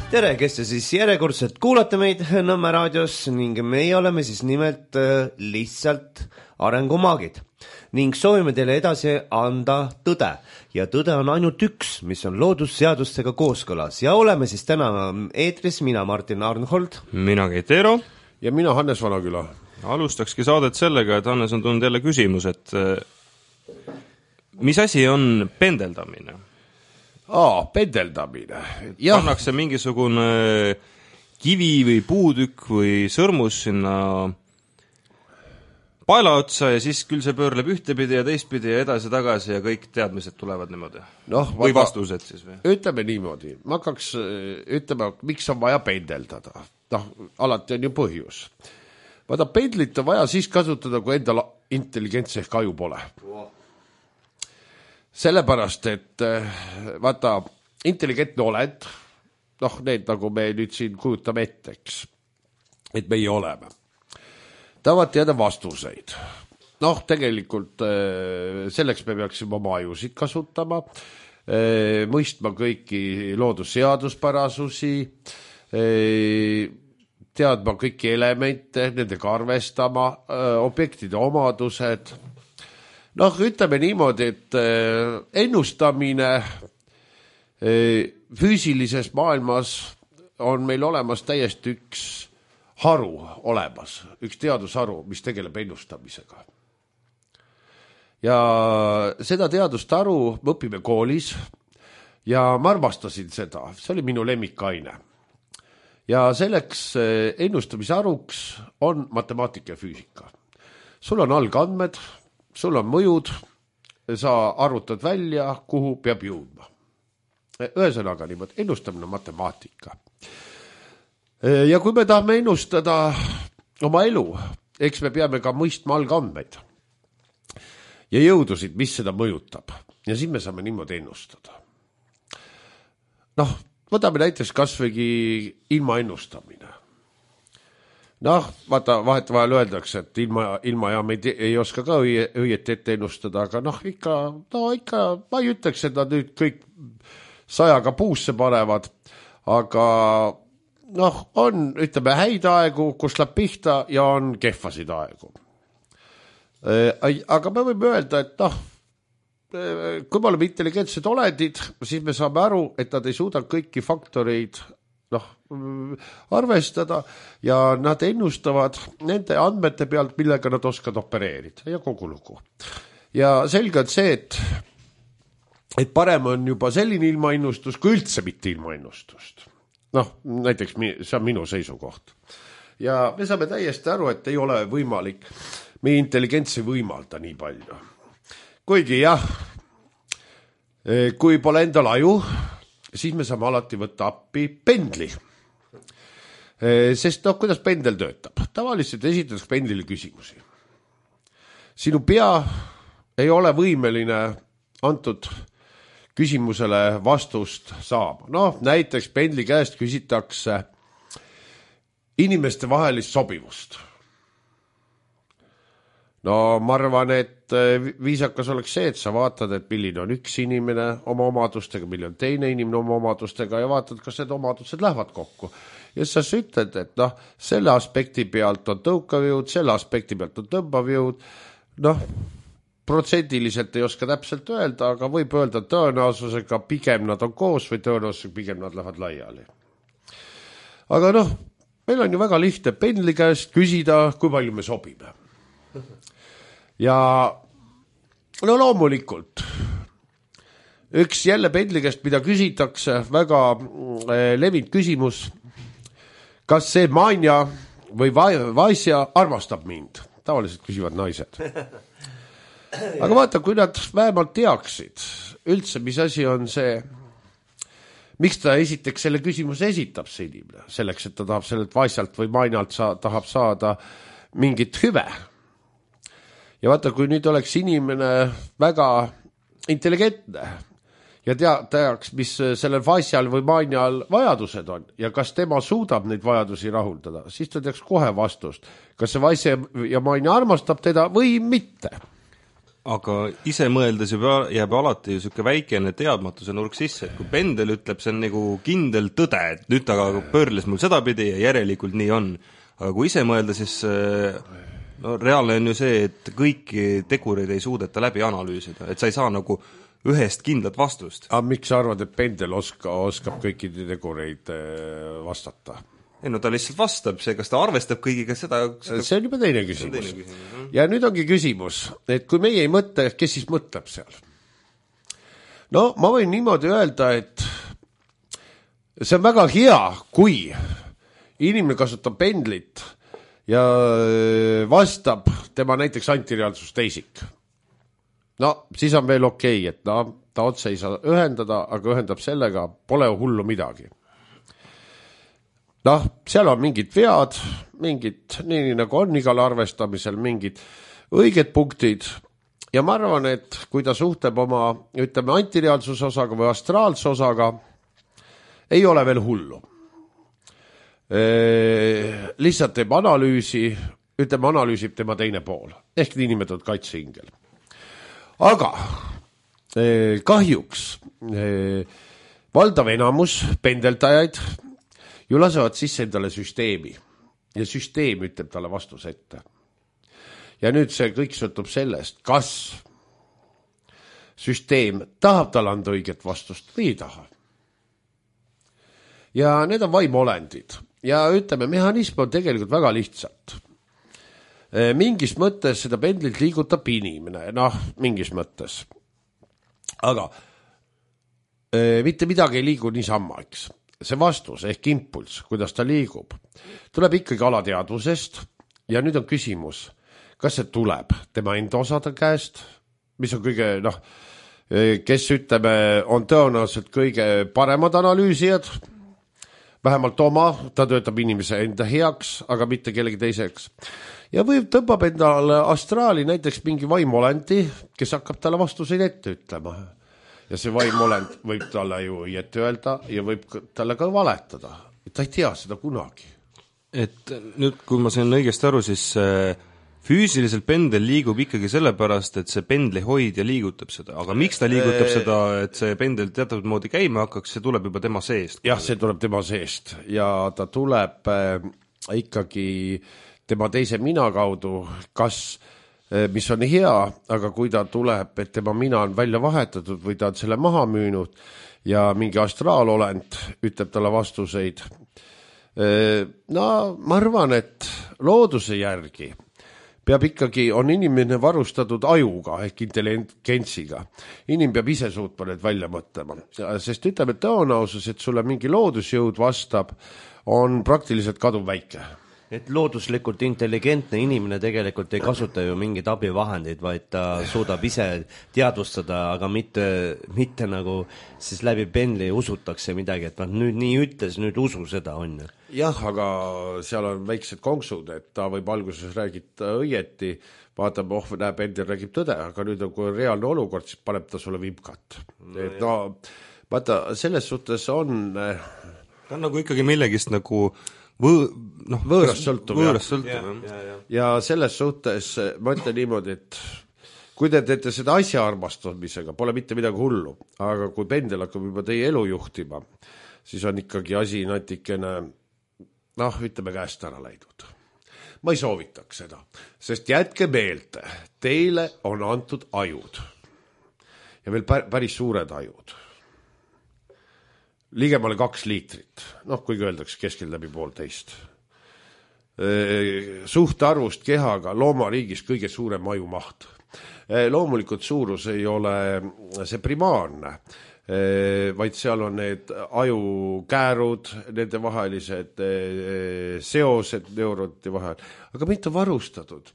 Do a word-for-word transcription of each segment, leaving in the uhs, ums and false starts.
tere, kes te siis järjekordselt kuulate meid Nõmme raadios ning meie oleme siis nimelt lihtsalt arengumaagid ning soovime teile edasi anda tõde ja tõde on ainult üks, mis on loodusseadustega kooskõlas ja oleme siis täna eetris mina Martin Arnhold, mina Keit Eero ja mina Hannes Vanaküla. Alustakski saadet sellega, et Hannes on tulnud jälle küsimus, et mis asi on pendeldamine? Aa, pendeldamine. Ja. Pannakse mingisugune kivi või puutükk või sõrmus sinna paela otsa ja siis küll see pöörleb ühtepidi ja teistpidi ja edasi tagasi ja kõik teadmised tulevad niimoodi. No, või vastused siis või? Ütleme niimoodi. Ma hakkaks ütlema, miks on vaja pendeldada. Noh, alati on ju põhjus. Vaata, pendlit on vaja siis kasutada, kui endal intelligentse ehk aju pole. Sellepärast, et vaata, intelligentne oled, noh, need nagu me nüüd siin kujutame etteks, et meie oleme. Tahavad teada vastuseid. Noh, tegelikult selleks me peaksime oma ajusid kasutama, mõistma kõiki loodusseaduspärasusi, teadma kõiki elemente, nendega arvestama, objektide omadused. Noh, ütleme niimoodi, et ennustamine füüsilises maailmas on meil olemas täiesti üks haru olemas, üks teadusharu, mis tegeleb ennustamisega. Ja seda teadusharu me õpime koolis ja ma armastasin seda, see oli minu lemmikaine. Ja selleks ennustamisharuks on matemaatika ja füüsika. Sul on algandmed, sul on mõjud, sa arvutad välja, kuhu peab jõudma. Ühesõnaga niimoodi, ennustamine on matemaatika. Ja kui me tahame ennustada oma elu, eks me peame ka mõistma algandmeid ja jõudusid, mis seda mõjutab. Ja siis me saame niimoodi ennustada. Noh, võtame näiteks kasvõigi ilma ennustamine. Noh, vaata, vahet vahel öeldakse, et ilma, ilma ja me ei, ei oska ka õieti ette ennustada, aga noh, ikka, no ikka, ma ei ütleks, et nad nüüd kõik sajaga puusse panevad, aga noh, on, ütleme, häid aegu, kus läheb pihta ja on kehvasid aegu. Aga me võime öelda, et noh, kui me oleme intelligentsed oledid, siis me saame aru, et nad ei suuda kõiki faktoreid noh, arvestada ja nad ennustavad nende andmete pealt, millega nad oskavad opereerida ja kogu lugu. Ja selge on see, et, et parem on juba selline ilmaennustus kui üldse mitte ilmaennustust. Noh, näiteks see on minu seisukoht. Ja me saame täiesti aru, et ei ole võimalik, meie intelligentsi võimalda nii palju. Kuigi jah, kui pole endal aju, siis me saame alati võtta appi pendli. Sest noh, kuidas pendel töötab? Tavaliselt esitades pendlile küsimusi. Sinu pea ei ole võimeline antud küsimusele vastust saama. Noh, näiteks pendli käest küsitakse inimeste vahelist sobivust. No ma arvan, et viisakas oleks see, et sa vaatad, et milline on üks inimene oma omadustega, milline on teine inimene oma omadustega ja vaatad, kas need omadused lähevad kokku. Ja sa ütled, et noh, selle aspekti pealt on tõukav jõud, selle aspekti pealt on tõmbav jõud. Noh, protsendiliselt ei oska täpselt öelda, aga võib öelda tõenäosusega pigem nad on koos või tõenäosusega pigem nad lähevad laiali. Aga noh, meil on ju väga lihtne pendli käest küsida, kui palju me sobime. Ja no loomulikult üks jälle pendli käest, mida küsitakse, väga levinud küsimus, kas see Manja või Vaisja armastab mind? Tavaliselt küsivad naised. Aga vaata, kui nad vähemalt teaksid üldse, mis asi on see, miks ta esiteks selle küsimuse esitab see inimene, selleks, et ta tahab sellelt Vaisjalt või Manjalt sa, tahab saada mingit hüve. Ja vaata, kui nüüd oleks inimene väga intelligentne ja tea, teaks, mis sellel Vaisjal või Manjal vajadused on ja kas tema suudab neid vajadusi rahuldada, siis ta teaks kohe vastust, kas see Vaisja ja Manja armastab teda või mitte. aga ise mõeldes juba jääb alati ju siuke väikene teadmatuse nurk sisse, et kui pendel ütleb, see on nagu kindel tõde, et nüüd ta pöörles mul sedapidi ja järelikult nii on. Aga kui ise mõelda, siis no reaalne on ju see, et kõiki tegureid ei suudeta läbi analüüsida, et sa ei saa nagu ühest kindlat vastust. aga miks sa arvad, et pendel oska, oskab kõikide tegureid vastata? ei no ta lihtsalt vastab, see, kas ta arvestab kõigiga seda, seda... see on juba teine küsimus, teine küsimus. Ja nüüd ongi küsimus, et kui meie ei mõtle, kes siis mõtleb seal? No ma võin niimoodi öelda, et see on väga hea, kui inimene kasutab pendlit ja vastab tema näiteks antireaalsusteisik. No siis on veel okei, et no, ta otse ei saa ühendada, aga ühendab sellega, pole hullu midagi. Noh, seal on mingid vead, mingid, nii nagu on igal arvestamisel, mingid õiged punktid ja ma arvan, et kui ta suhtleb oma, ütleme, antireaalsuse osaga või astraalse osaga, ei ole veel hullu. E, lihtsalt teeb analüüsi, ütleme, analüüsib tema teine pool, ehk niinimetatud kaitseingel. Aga e, kahjuks e, valdav enamus pendeldajaid ju lasevad sisse endale süsteemi ja süsteem ütleb talle vastuse ette. Ja nüüd see kõik sõltub sellest, kas süsteem tahab talle anda õiget vastust või ei taha. Ja need on vaimolendid ja ütleme, mehhanism on tegelikult väga lihtsalt. Mingis mõttes seda pendlit liigutab inimene, noh, mingis mõttes. Aga e, mitte midagi ei liigu niisama, eks. See vastus ehk impuls, kuidas ta liigub, tuleb ikkagi alateadvusest ja nüüd on küsimus, kas see tuleb tema enda osade käest, mis on kõige, noh, kes ütleme, on tõenäoliselt kõige paremad analüüsijad, vähemalt oma, ta töötab inimese enda heaks, aga mitte kellegi teiseks. Ja võib tõmbab endale astraali näiteks mingi vaimolendi, kes hakkab talle vastuseid ette ütlema. Ja see vaimolend võib talle ju ette öelda ja võib talle ka valetada. Ta ei tea seda kunagi. Et nüüd, kui ma sain õigesti aru, siis füüsiliselt pendel liigub ikkagi sellepärast, et see pendli hoidja liigutab seda. Aga miks ta liigutab seda, et see pendel teatud moodi käima hakkaks, see tuleb juba tema seest? Jah, see tuleb tema seest ja ta tuleb äh, ikkagi tema teise mina kaudu, kas mis on hea, aga kui ta tuleb, et tema mina on välja vahetatud või ta on selle maha müünud ja mingi astraalolend ütleb talle vastuseid. No, ma arvan, et looduse järgi peab ikkagi, on inimene varustatud ajuga ehk intelligentsiga. Inim peab ise suutma need välja mõtlema. Sest ütleme, tõenäosus, et sulle mingi loodusjõud vastab, on praktiliselt kadub väike. Et looduslikult intelligentne inimene tegelikult ei kasuta ju mingid abivahendid, vaid ta suudab ise teadvustada, aga mitte, mitte nagu siis läbi pendli usutakse midagi, et nüüd nii ütles, nüüd usu seda on. Jah, aga seal on väiksed konksud, et ta võib alguses räägida õieti, vaatab, oh, näeb, pendel räägib tõde, aga nüüd on, kui on reaalne olukord, siis paneb ta sulle vimkat. No, et no, vaata, selles suhtes on... Ta on nagu ikkagi millegist nagu... Võõ, noh, võõrast sõltub, võõrast sõltub ja. Ja, ja. ja selles suhtes ma ütlen niimoodi, et kui te teete seda asja armastamisega, pole mitte midagi hullu, aga kui pendel hakkab juba teie elu juhtima, siis on ikkagi asi natikene, noh, ütleme käest ära läidud. Ma ei soovitaks seda, sest jätke meelde, teile on antud ajud ja veel päris suured ajud. Ligemale kaks liitrit, noh, kuigi öeldakse keskel läbi poolteist. Suhtarvust kehaga loomariigis kõige suurem ajumaht. Loomulikult suurus ei ole see primaarne, vaid seal on need ajukäärud, nende vahelised seosed neuronite vahel, aga mitte varustatud.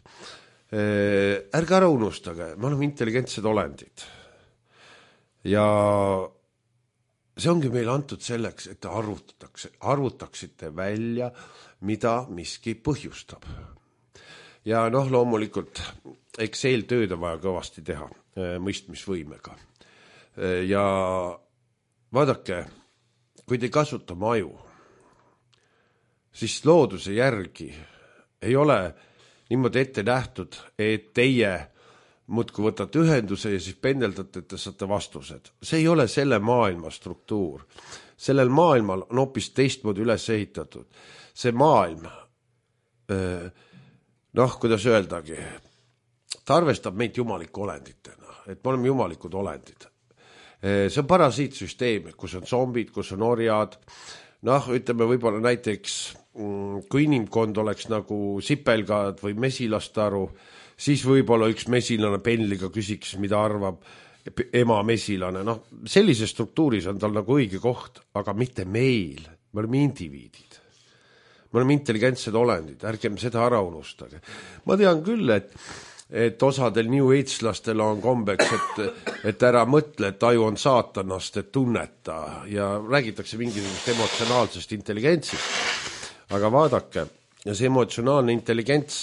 Ärge ära unustage, me oleme intelligentsed olendid. Ja see ongi meil antud selleks, et arvutatakse, arvutaksite välja, mida miski põhjustab. Ja noh, loomulikult Excel tööd on vaja kõvasti teha mõistmisvõimega. Ja vaadake, kui te kasuta oma aju, siis looduse järgi ei ole niimoodi ette nähtud, et teie muudkui võtate ühenduse ja siis pendeldate, et te saate vastused. See ei ole selle maailma struktuur. Sellel maailmal on hoopis teistmoodi üles ehitatud. See maailm, noh, kuidas öeldagi, ta arvestab meid jumaliku olenditena, et me oleme jumalikud olendid. See on parasiitsüsteem, kus on zombid, kus on orjad. Noh, ütleme võib-olla näiteks, kui inimkond oleks nagu sipelgad või mesilastaru, siis võib-olla üks mesilane penliga küsiks, mida arvab ema mesilane. Noh, sellise struktuuris on tal nagu õige koht, aga mitte meil. Me oleme indiviidid. Me oleme intelligentsed olendid, ärgem seda ära unustage. Ma tean küll, et et osadel New Age-lastel on kombeks, et, et ära mõtle, et aju on saatanast, et tunneta ja räägitakse mingisugust emotsionaalsest intelligentsist. Aga vaadake, ja see emotsionaalne intelligents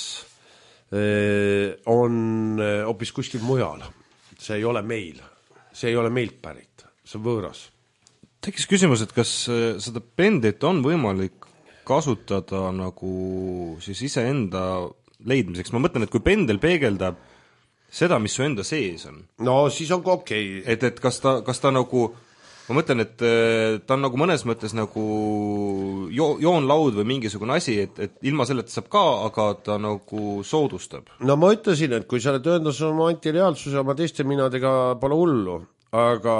eh, on hoopis kuskil mujal. See ei ole meil. See ei ole meilt pärit. See on võõras. Tekkis küsimus, et kas seda pendlit on võimalik kasutada nagu siis iseenda leidmiseks. Ma mõtlen, et kui pendel peegeldab seda, mis su enda sees on. No siis on ka okei. Et, et kas ta, kas ta nagu, ma mõtlen, et ta on nagu mõnes mõttes nagu jo, joonlaud või mingisugune asi, et, et ilma selleta saab ka, aga ta nagu soodustab. No ma ütlesin, et kui sa oled ühendas oma antireaalsuse oma teiste minadega pole hullu, aga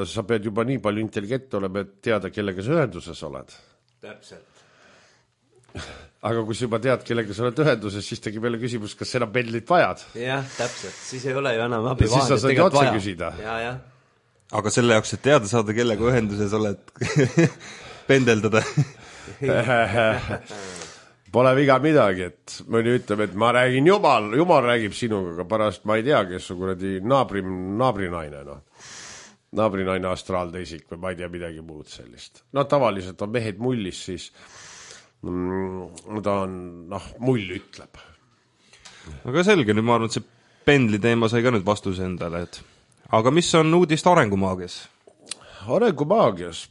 sa pead juba nii palju intelligent olema, et teada, kellega sa ühenduses oled. Täpselt. Aga kui sa juba tead, kellega sa oled ühenduses, siis tegi meile küsimus, kas enam pendlit vajad? Jah, täpselt. Siis ei ole ju enam abivahendit. Siis sa saad otse vaja. Küsida. Ja, ja. Aga selle jaoks, et teada saada, kellega ühenduses oled pendeldada. Pole viga midagi, et mõni ütleb, et ma räägin jumal, jumal räägib sinuga, aga pärast ma ei tea, kes su kuradi naabri, naabrinaine, no. Naabrinaine astraalteisik või ma ei tea midagi muud sellist. No tavaliselt on mehed mullis, siis ta on, noh, mull ütleb. Aga selge, nüüd ma arvan, et see pendli teema sai ka nüüd vastuse endale, et aga mis on uudist arengumaagias? Arengumaagias?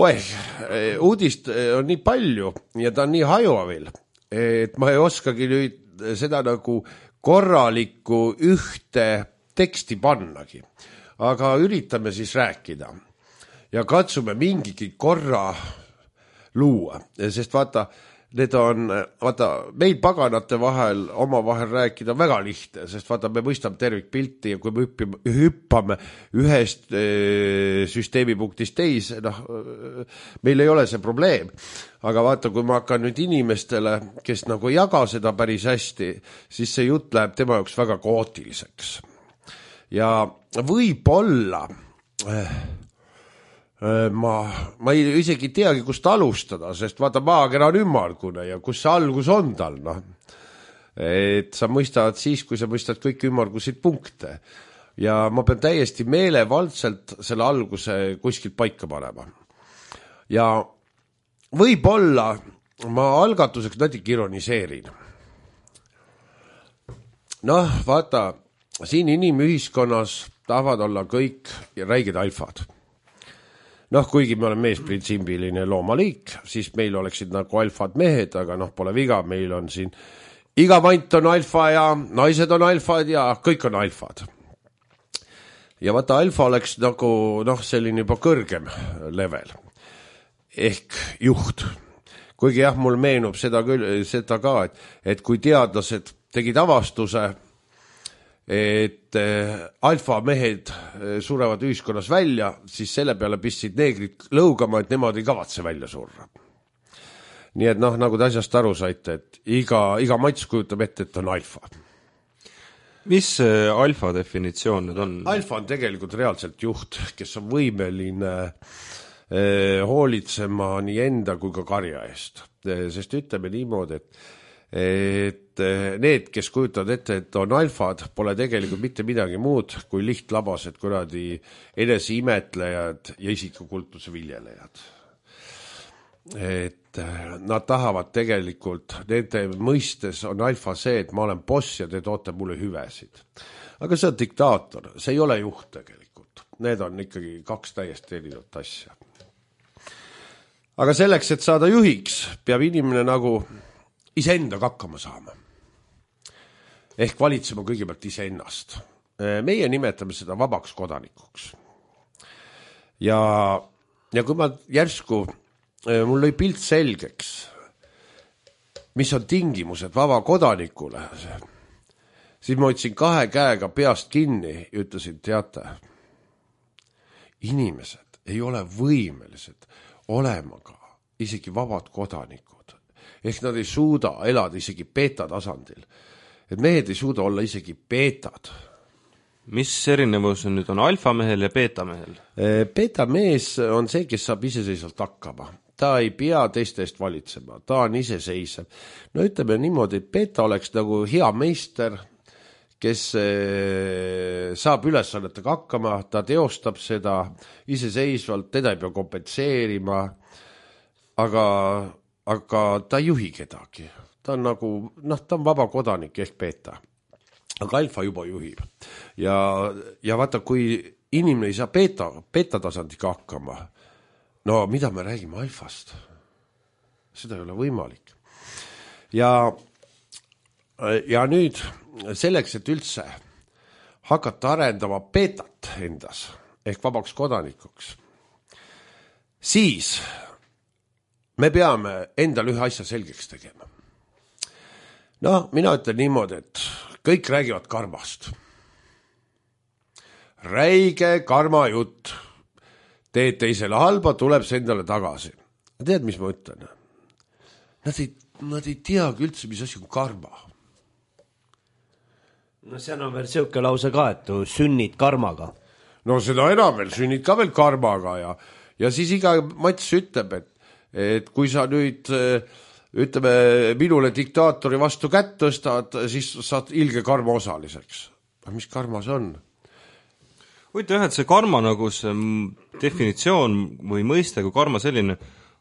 Oeh, uudist on nii palju ja ta on nii hajuvil, et ma ei oskagi nüüd seda nagu korralikku ühte teksti pannagi. Aga üritame siis rääkida ja katsume mingigi korra luua, sest vaata, need on, vaata, meil paganate vahel oma vahel rääkida väga lihtne, sest vaata, me mõistame tervikpilti ja kui me hüppime, hüppame ühest e, süsteemipunktist teise, noh, meil ei ole see probleem. Aga vaata, kui ma hakkan nüüd inimestele, kes nagu ei jaga seda päris hästi, siis see jutt läheb tema jaoks väga kaootiliseks. Ja võib-olla Ma, ma ei isegi teagi, kust alustada, sest vaata, maakera on ümmargune ja kus see algus on tal, noh. Et sa mõistad siis, kui sa mõistad kõik ümmargusid punkte. Ja ma pean täiesti meelevaldselt selle alguse kuskilt paika panema. Ja võib-olla ma algatuseks natuke ironiseerin. Noh, vaata, siin inimühiskonnas tahavad olla kõik räiged alfad. Noh, kuigi me oleme meesprintsiibiline loomaliik, siis meil oleksid nagu alfad mehed, aga noh, pole viga, meil on siin iga vant on alfa ja naised on alfad ja kõik on alfad. Ja vaata, alfa oleks nagu, noh, selline juba kõrgem level. Ehk juht. Kuigi jah, mul meenub seda, küll, seda ka, et, et kui teadlased tegid avastuse, et alfa mehed surevad ühiskonnas välja, siis selle peale pistsid neegrid lõugama, et nemad ei kavatse välja surra. Nii et noh, nagu te asjast aru saite, et iga, iga mats kujutab ette, et on alfa. Mis alfa definitsioon nüüd on? Alfa on tegelikult reaalselt juht, kes on võimeline eh, hoolitsema nii enda kui ka karja eest. Sest ütleme niimoodi, et et need, kes kujutavad ette, et on alfad, pole tegelikult mitte midagi muud kui lihtlabased kuradi eneseimetlejad ja isikukultuse viljelejad. Et nad tahavad tegelikult, nende mõistes on alfa see, et ma olen boss ja te toote mulle hüvesid. Aga see on diktaator, see ei ole juht tegelikult. Need on ikkagi kaks täiesti erinevat asja. Aga selleks, et saada juhiks, peab inimene nagu iseendaga hakkama saama. ehk valitsema kõigepealt iseennast. Meie nimetame seda vabaks kodanikuks. Ja, ja kui ma järsku, mul lõi pilt selgeks, mis on tingimused vaba kodanikule, siis ma otsin kahe käega peast kinni ja ütlesin, teate, inimesed ei ole võimelised olema ka isegi vabad kodanikud. Ehk nad ei suuda elada isegi beeta tasandil. Et mehed ei suuda olla isegi beetad. Mis erinevus on nüüd on alfamehel ja beetamehel? Beeta mees on see, kes saab iseseisvalt hakkama. Ta ei pea teiste eest valitsema, ta on iseseisev. No ütleme niimoodi, et beeta oleks nagu hea meister, kes saab ülesannetega hakkama, ta teostab seda iseseisvalt, teda ei pea kompenseerima, aga, aga ta ei juhi kedagi. Ta on nagu, noh, ta on vaba kodanik ehk beeta. Aga alfa juba juhib. Ja, ja vaata, kui inimene ei saa beeta, beeta tasandiga hakkama, no mida me räägime alfast? Seda ei ole võimalik. Ja, ja nüüd selleks, et üldse hakata arendama beetat endas, ehk vabaks kodanikuks, siis me peame endal ühe asja selgeks tegema. No, mina ütlen niimoodi, et kõik räägivad karmast. Räige karma jutt. Teed teisele halba, tuleb see endale tagasi. Tead, mis ma ütlen? Nad ei, nad ei teagi üldse, mis asi on karma. No seal on veel siuke lause ka, et tu sünnid karmaga. No seda enam veel, sünnid ka veel karmaga ja, ja siis iga Mats ütleb, et, et kui sa nüüd ütleme, minule diktaatori vastu kätt tõstad, siis saad ilge karma osaliseks. Aga mis karma see on? Võite jah, et see karma nagu see definitsioon või mõiste, kui karma selline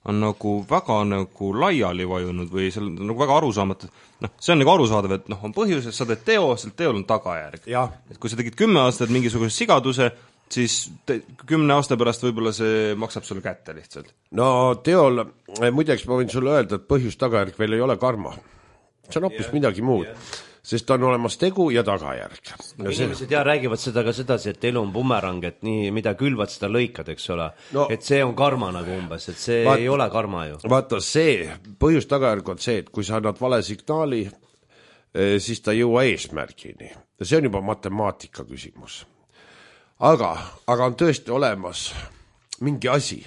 on nagu väga nagu laiali vajunud või seal nagu väga arusaamatu. No, see on nagu arusaadav, et noh, on põhjus, et sa teed teo, seal teol on tagajärg. Et kui sa tegid kümme aastat mingisuguse sigaduse, siis te, kümne aasta pärast võib-olla see maksab sulle kätte lihtsalt. No teol, muideks ma võin sulle öelda, et põhjus tagajärg veel ei ole karma. See on hoopis yeah, midagi muud, yeah. Sest on olemas tegu ja tagajärg. No inimesed see... ja räägivad seda ka sedasi, et elu on bumerang, et nii, mida külvad, seda lõikad, eks ole. No, et see on karma nagu umbes, et see vaat, ei ole karma ju. Vaata, see põhjus tagajärg on see, et kui sa annad vale signaali, siis ta ei jõua eesmärgini. See on juba matemaatika küsimus. Aga, aga on tõesti olemas mingi asi,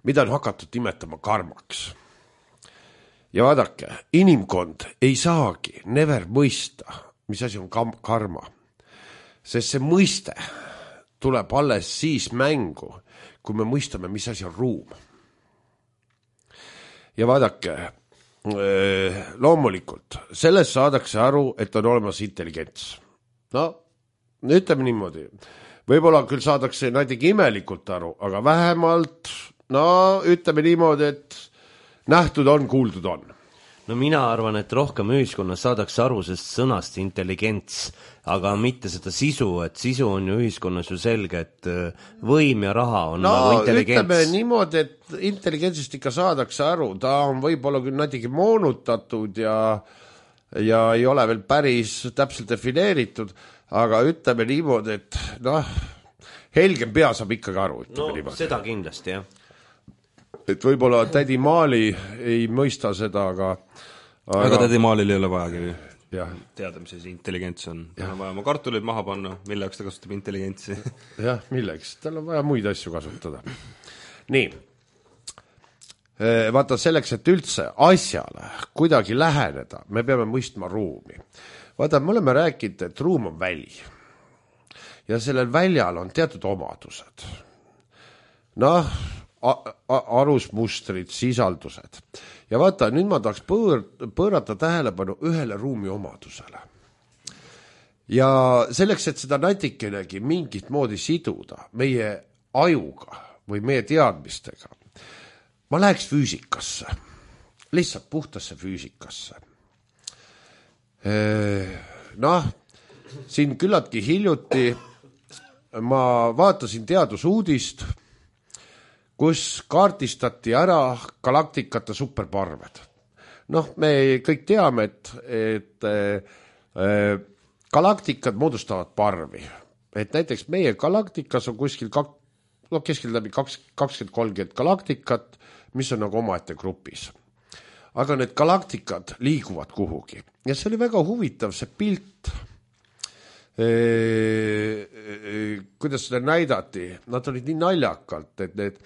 mida on hakatud nimetama karmaks. Ja vaadake, inimkond ei saagi never mõista, mis asi on karma. Sest see mõiste tuleb alles siis mängu, kui me mõistame, mis asi on ruum. Ja vaadake, loomulikult, sellest saadakse aru, et on olemas intelligents. No, ütleme niimoodi, võib-olla küll saadakse näitegi imelikult aru, aga vähemalt, no ütleme niimoodi, et nähtud on, kuuldud on. No mina arvan, et rohkem ühiskonnas saadakse aru sest sõnast intelligents, aga mitte seda sisu, et sisu on ju ühiskonnas ju selge, et võim ja raha on no, nagu intelligents. No ütleme niimoodi, et intelligentsist ikka saadakse aru, ta on võib-olla küll näitegi moonutatud ja, ja ei ole veel päris täpselt defineeritud, aga ütleme niimoodi, et noh, helgem pea saab ikkagi aru. No niimoodi. Seda kindlasti, jah. Et võib-olla tädi Maali ei mõista seda, aga... Aga, aga tädi Maalil ei ole vajagi jah. Teada, mis see intelligents on. Tal on vaja oma kartulid maha panna, mille jaoks ta kasutab intelligentsi. Jah, milleks? Tal on vaja muid asju kasutada. Nii. Vaata, selleks, et üldse asjale kuidagi läheneda, me peame mõistma ruumi. Vaata, me oleme rääkinud, et ruum on väli. Ja sellel väljal on teatud omadused. Noh, arusmustrid, sisaldused. Ja vaata, nüüd ma tahaks põõr, põõrata tähelepanu ühele ruumi omadusele. Ja selleks, et seda natikenegi mingit moodi siduda meie ajuga või meie teadmistega, ma läheks füüsikasse, lihtsalt puhtasse füüsikasse. Noh, siin küllaltki hiljuti ma vaatasin teadusuudist, kus kaardistati ära galaktikate superparved. Noh, me kõik teame, et, et galaktikad moodustavad parvi, et näiteks meie galaktikas on kuskil kak, no keskel läbi kakskümmend kolmkümmend galaktikat, mis on nagu omaette grupis. Aga need galaktikad liiguvad kuhugi ja see oli väga huvitav, see pilt, e, e, kuidas seda näidati, nad olid nii naljakalt, et need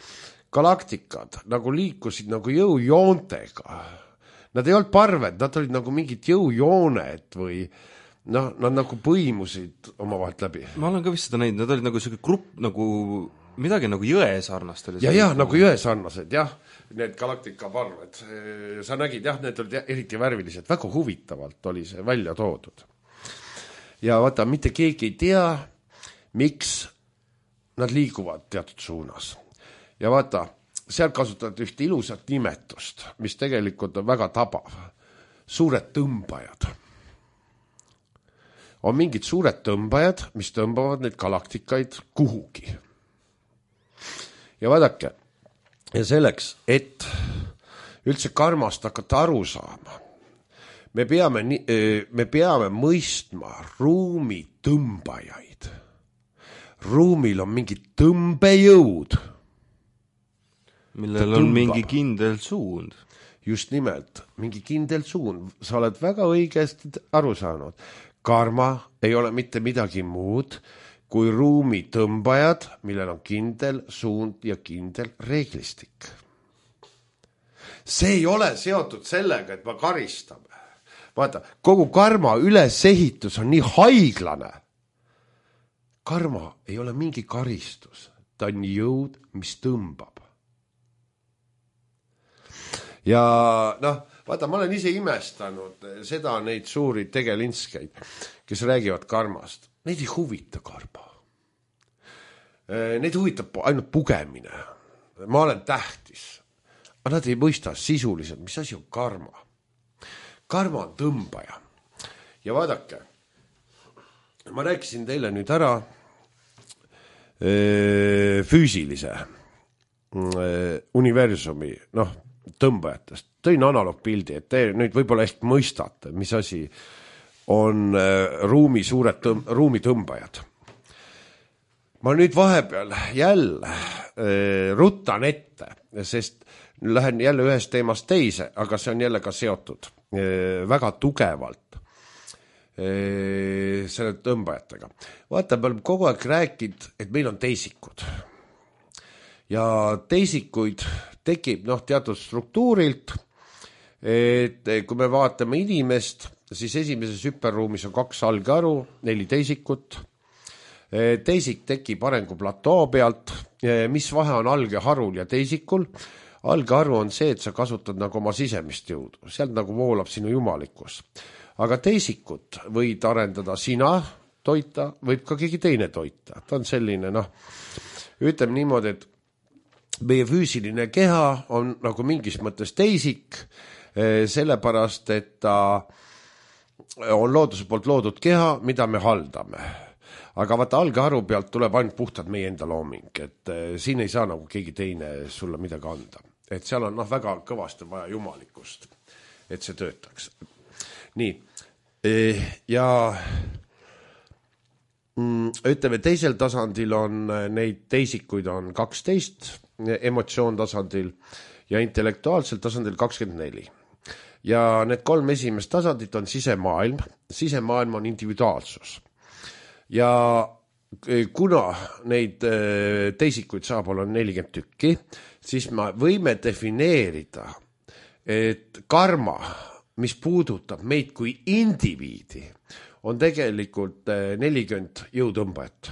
galaktikad nagu liikusid nagu jõujoontega. Nad ei olnud parved, nad olid nagu mingid jõujooned või noh, nad nagu põimusid oma vahelt läbi. Ma olen ka vist seda näinud, nad olid nagu selline grupp, nagu midagi nagu jõe sarnast. Ja, jah, nagu jõe sarnased, jah, need galaktikaparved. Sa nägid, jah, need olid eriti värvilised, väga huvitavalt oli see välja toodud. Ja vaata, mitte keegi ei tea, miks nad liiguvad teatud suunas. Ja vaata, seal kasutavad ühte ilusat nimetust, mis tegelikult on väga tabav. Suured tõmbajad. On mingid suured tõmbajad, mis tõmbavad neid galaktikaid kuhugi. Ja vaadake, ja selleks, et üldse karmast hakata aru saama, me peame, me peame mõistma ruumi tõmbajaid. Ruumil on mingi tõmbejõud, millel on mingi kindel suund. Just nimelt, mingi kindel suund. Sa oled väga õigesti aru saanud. Karma ei ole mitte midagi muud kui ruumi tõmbajad, millel on kindel suund ja kindel reeglistik. See ei ole seotud sellega, et ma karistame. Vaata, kogu karma ülesehitus on nii haiglane. Karma ei ole mingi karistus. Ta on jõud, mis tõmbab. Ja noh, vaata, ma olen ise imestanud seda neid suuri tegelinskeid, kes räägivad karmast. Neid ei huvita karma. Neid huvitab ainult pugemine. Ma olen tähtis. Aga nad ei mõista sisuliselt, mis asi on karma. Karma on tõmbaja. Ja vaadake, ma rääkisin teile nüüd ära füüsilise universumi, noh, tõmbajatest. Tõin analoogpildi, et te nüüd võib-olla ehk mõistate, mis asi on ruumi suured tõm- ruumi tõmbajad. Ma nüüd vahepeal jälle äh, ruttan ette, sest lähen jälle ühest teemast teise, aga see on jälle ka seotud äh, väga tugevalt äh, selle tõmbajatega. Vaata, me oleme kogu aeg rääkinud, et meil on teisikud. Ja teisikuid tekib noh, teatud struktuurilt, et kui me vaatame inimest, siis esimeses hüperruumis on kaks algeharu, neli teisikut. Teisik tekib arenguplatoo pealt, mis vahe on algeharul ja teisikul. Algeharu on see, et sa kasutad nagu oma sisemist jõudu, sealt nagu voolab sinu jumalikkus. Aga teisikut võid arendada sina toita, võib ka keegi teine toita. Ta on selline, noh, ütleme niimoodi, et meie füüsiline keha on nagu mingis mõttes teisik, sellepärast, et ta on looduse poolt loodud keha, mida me haldame. Aga vaata, algeharu pealt tuleb ainult puhtalt meie enda looming, et siin ei saa nagu keegi teine sulle midagi anda. Et seal on noh, väga kõvasti vaja jumalikkust, et see töötaks. Nii, ja ütleme, teisel tasandil on neid teisikuid on kaksteist, emotsioon tasandil ja intellektuaalsel tasandil kakskümmend neli. Ja need kolm esimest tasandit on sisemaailm. Sisemaailm on individuaalsus. Ja kuna neid teisikuid saab olla nelikümmend tükki, siis me võime defineerida, et karma, mis puudutab meid kui indiviidi, on tegelikult nelikümmend jõutõmbajat.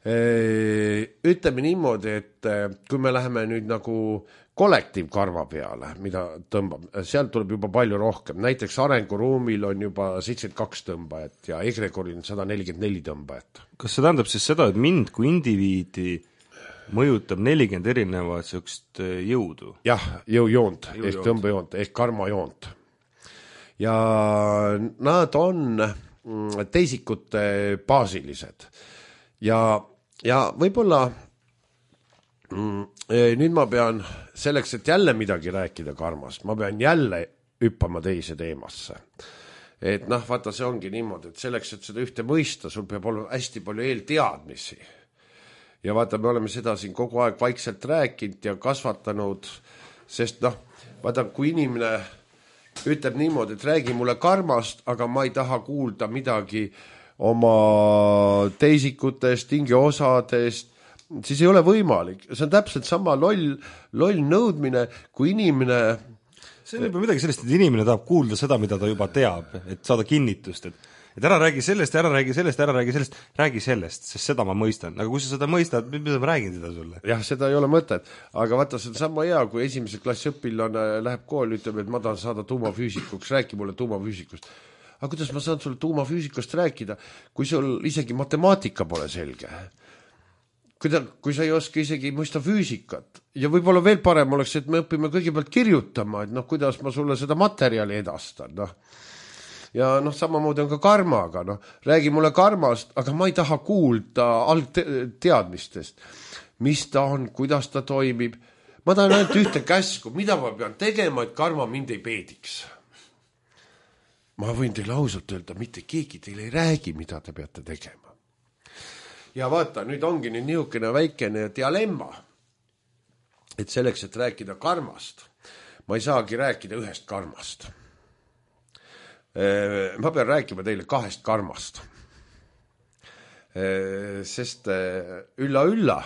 Ütleme niimoodi, et kui me läheme nüüd nagu kollektiivkarva peale, mida tõmbab, sealt tuleb juba palju rohkem. Näiteks arenguruumil on juba seitsekümmend kaks tõmbajat ja egregoril on sada nelikümmend neli tõmbajat. Kas see tähendab siis seda, et mind kui indiviidi mõjutab nelikümmend erinevat sellist jõudu? Jah, jõujoont, ehk tõmbejoont, ehk karmajoont. Ja nad on teisikute baasilised. Ja, ja võib-olla nüüd ma pean selleks, et jälle midagi rääkida karmast, ma pean jälle hüppama teise teemasse. et noh, vaata, see ongi niimoodi, et selleks, et seda ühte mõista, sul peab olema hästi palju eelteadmisi. Ja vaata, me oleme seda siin kogu aeg vaikselt rääkinud ja kasvatanud, sest noh, vaata, kui inimene ütleb niimoodi, et räägi mulle karmast, aga ma ei taha kuulda midagi oma teisikutest, tingi osadest, siis ei ole võimalik. See on täpselt sama loll, loll nõudmine, kui inimene... See on juba midagi sellist, et inimene tahab kuulda seda, mida ta juba teab, et saada kinnitust, et, et ära räägi sellest, ära räägi sellest, ära räägi sellest, räägi sellest, sest seda ma mõistan. Aga kui sa seda mõistad, mida ma räägin seda sulle? Jah, seda ei ole mõtet. Aga vaata, see on sama hea, kui esimese klassi õpilane läheb kooli, ütleb, et ma tahan saada tuumafüüsikuks, räägi mulle tuumafüüsikust. Aga kuidas ma saan sulle tuumafüüsikust rääkida, kui sul isegi matemaatika pole selge? Kui, ta, kui sa ei oska isegi mõista füüsikat ja võib-olla veel parem oleks, et me õpime kõigepealt kirjutama, et noh, kuidas ma sulle seda materjali edastan, noh. Ja noh, samamoodi on ka karmaga, noh, räägi mulle karmast, aga ma ei taha kuulda algteadmistest, mis ta on, kuidas ta toimib. Ma tahan ainult ühte käsku, mida ma pean tegema, et karma mind ei peediks. Ma võin teile ausalt öelda, mitte keegi teile ei räägi, mida te peate tegema. Ja vaata, nüüd ongi nüüd niisugune väikene dialemma, et selleks, et rääkida karmast, ma ei saagi rääkida ühest karmast. Ma pean rääkima teile kahest karmast. Sest ülla-ülla,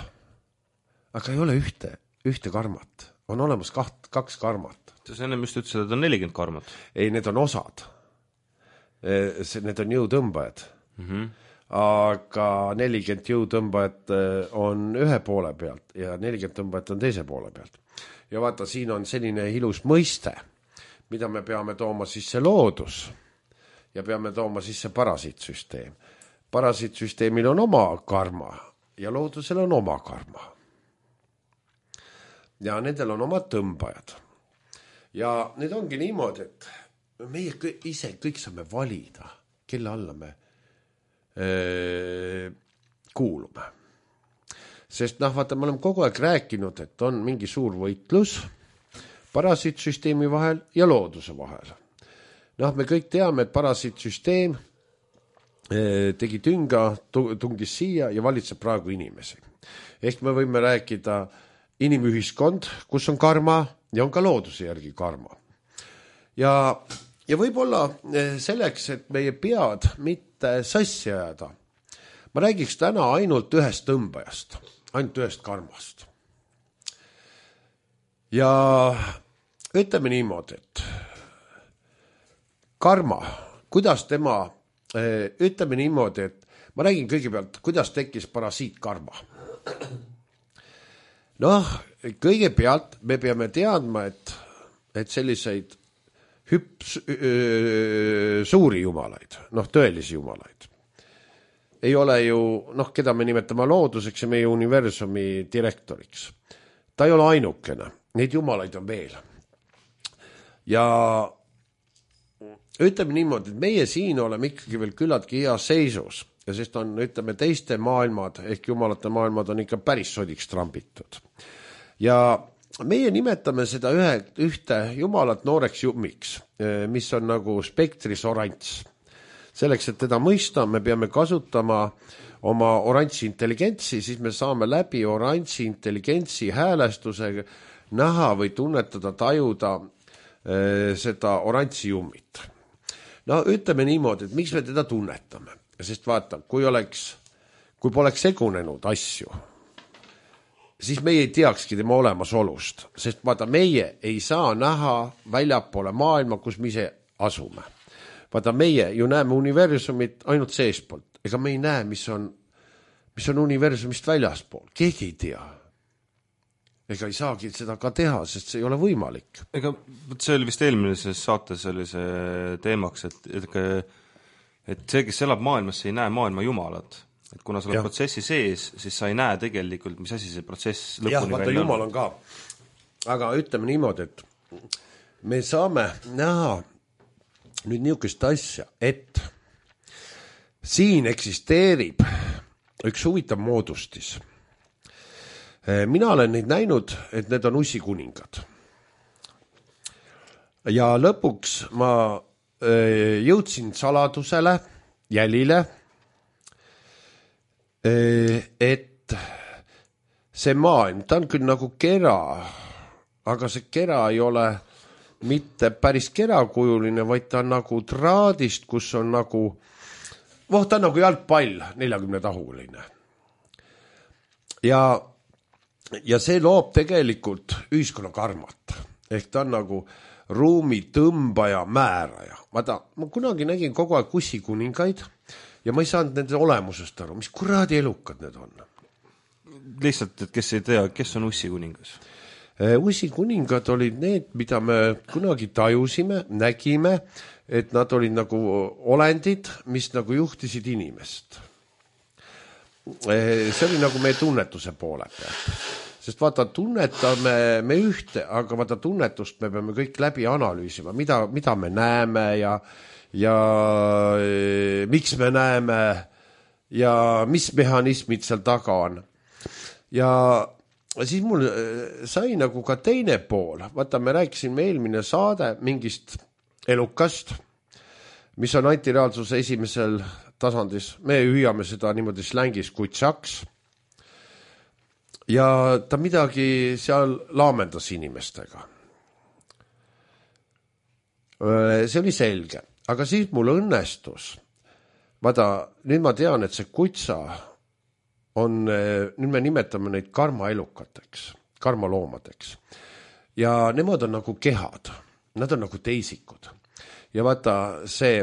aga ei ole ühte, ühte karmat. On olemas kaht, kaks karmat. Sa ennem just ütlesid, et on nelikümmend karmat. Ei, need on osad. Need on jõutõmbajad. Mhm. Aga nelikümmend jõutõmbajat on ühe poole pealt ja nelikümmend tõmbajat on teise poole pealt. Ja vaata, siin on selline ilus mõiste, mida me peame tooma sisse loodus ja peame tooma sisse parasiitsüsteem. Parasiitsüsteemil on oma karma ja loodusel on oma karma. Ja nendel on oma tõmbajad. Ja need ongi niimoodi, et meie ise kõik saame valida, kelle alla me kuulume. Sest noh, vaata, me oleme kogu aeg rääkinud, et on mingi suur võitlus parasiitsüsteemi vahel ja looduse vahel. Noh, me kõik teame, et parasiitsüsteem tegi tünga, tungis siia ja valitseb praegu inimesi. Ehk me võime rääkida inimühiskond, kus on karma ja on ka looduse järgi karma. Ja Ja võib-olla selleks, et meie pead mitte sassi ajada, ma räägiks täna ainult ühest tõmbajast, ainult ühest karmast. Ja ütleme niimoodi, et karma, kuidas tema, ütleme niimoodi, et ma räägin kõigepealt, kuidas tekkis parasiitkarma. Noh, kõigepealt me peame teadma, et, et selliseid hüps, öö, suuri jumalaid, noh, tõelisi jumalaid. Ei ole ju, noh, keda me nimetame looduseks ja meie universumi direktoriks. Ta ei ole ainukene, neid jumalaid on veel. Ja ütleme niimoodi, et meie siin oleme ikkagi veel küllaltki hea seisus, ja sest on, ütleme, teiste maailmad, ehk jumalate maailmad on ikka päris sodiks trambitud. Ja meie nimetame seda ühe, ühte jumalat nooreks jummiks, mis on nagu spektris oranss. Selleks, et teda mõista, me peame kasutama oma oransi intelligentsi, siis me saame läbi oransi intelligentsi häälestusega näha või tunnetada, tajuda äh, seda oransi jummit. No ütleme niimoodi, et miks me teda tunnetame? Sest vaata, kui oleks, kui poleks segunenud asju, siis meie ei teakski tema olemasolust, sest vaata, meie ei saa näha väljapoole maailma, kus me ise asume. Vaata, meie ju näeme universumit ainult seespoolt, ega me ei näe, mis on, mis on universumist väljaspool. Keegi ei tea. Ega ei saagi seda ka teha, sest see ei ole võimalik. Ega see oli vist eelmises saates oli see teemaks, et, et, et see, kes elab maailmas, ei näe maailma jumalat. Et kuna sa oled protsessi sees, siis sa ei näe tegelikult, mis asi see protsess lõpuni jah, vaata, jumal on ka. Aga ütleme niimoodi, et me saame näha nüüd niisugust asja, et siin eksisteerib üks huvitav moodustis. Mina olen neid näinud, et need on ussikuningad. Ja lõpuks ma jõudsin saladusele, jälile, et see maailm, ta on küll nagu kera, aga see kera ei ole mitte päris kerakujuline, vaid ta on nagu traadist, kus on nagu, voh, ta on nagu jalgpall, neljakümne tahuline. Ja, ja see loob tegelikult ühiskonna karmat. Ehk ta on nagu ruumi tõmbaja, määraja. Vaata, ma kunagi nägin kogu aeg ussikuningaid ja ma ei saanud nende olemusest aru, mis kuradi elukad need on. Lihtsalt, et kes ei tea, kes on ussikuningas? Ussikuningad olid need, mida me kunagi tajusime, nägime, et nad olid nagu olendid, mis nagu juhtisid inimest. See oli nagu meie tunnetuse poole peal. Sest vaata, tunnetame me ühte, aga vaata tunnetust me peame kõik läbi analüüsima, mida, mida me näeme ja, ja e, miks me näeme ja mis mehhanismid seal taga on. Ja siis mul sai nagu ka teine pool. Vaata, me rääkisime eelmine saade mingist elukast, mis on antireaalsuse esimesel tasandis. Me hüüame seda niimoodi slängis kutsaks. Ja ta midagi seal laamendas inimestega. See oli selge. Aga siis mul õnnestus. Vaata, nüüd ma tean, et see kutsa on, nüüd me nimetame neid karmaelukateks, karmaloomadeks. Ja nemad on nagu kehad. Nad on nagu teisikud. Ja vaata, see,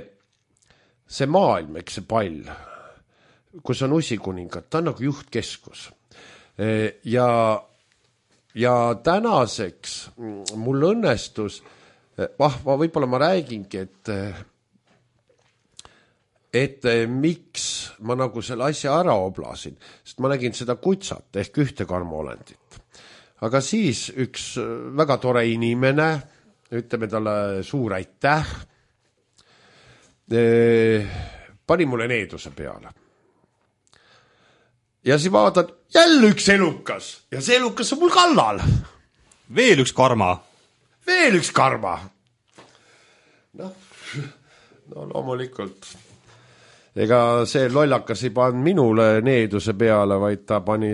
see maailm, eks see pall, kus on ussikuningad, ta on nagu juhtkeskus. Ja, ja tänaseks mul õnnestus, ah, ma võib-olla ma räägingi, et, et miks ma nagu selle asja ära oblasin, sest ma nägin seda kutsat ehk ühte karmaolendit. Aga siis üks väga tore inimene, ütleme talle suur aitäh, pani mulle needuse peale. Ja siis vaatan, jälle üks elukas. Ja see elukas on mul kallal. Veel üks karma. Veel üks karma. No, no loomulikult. Ega see lollakas ei pannud minule needuse peale, vaid ta pani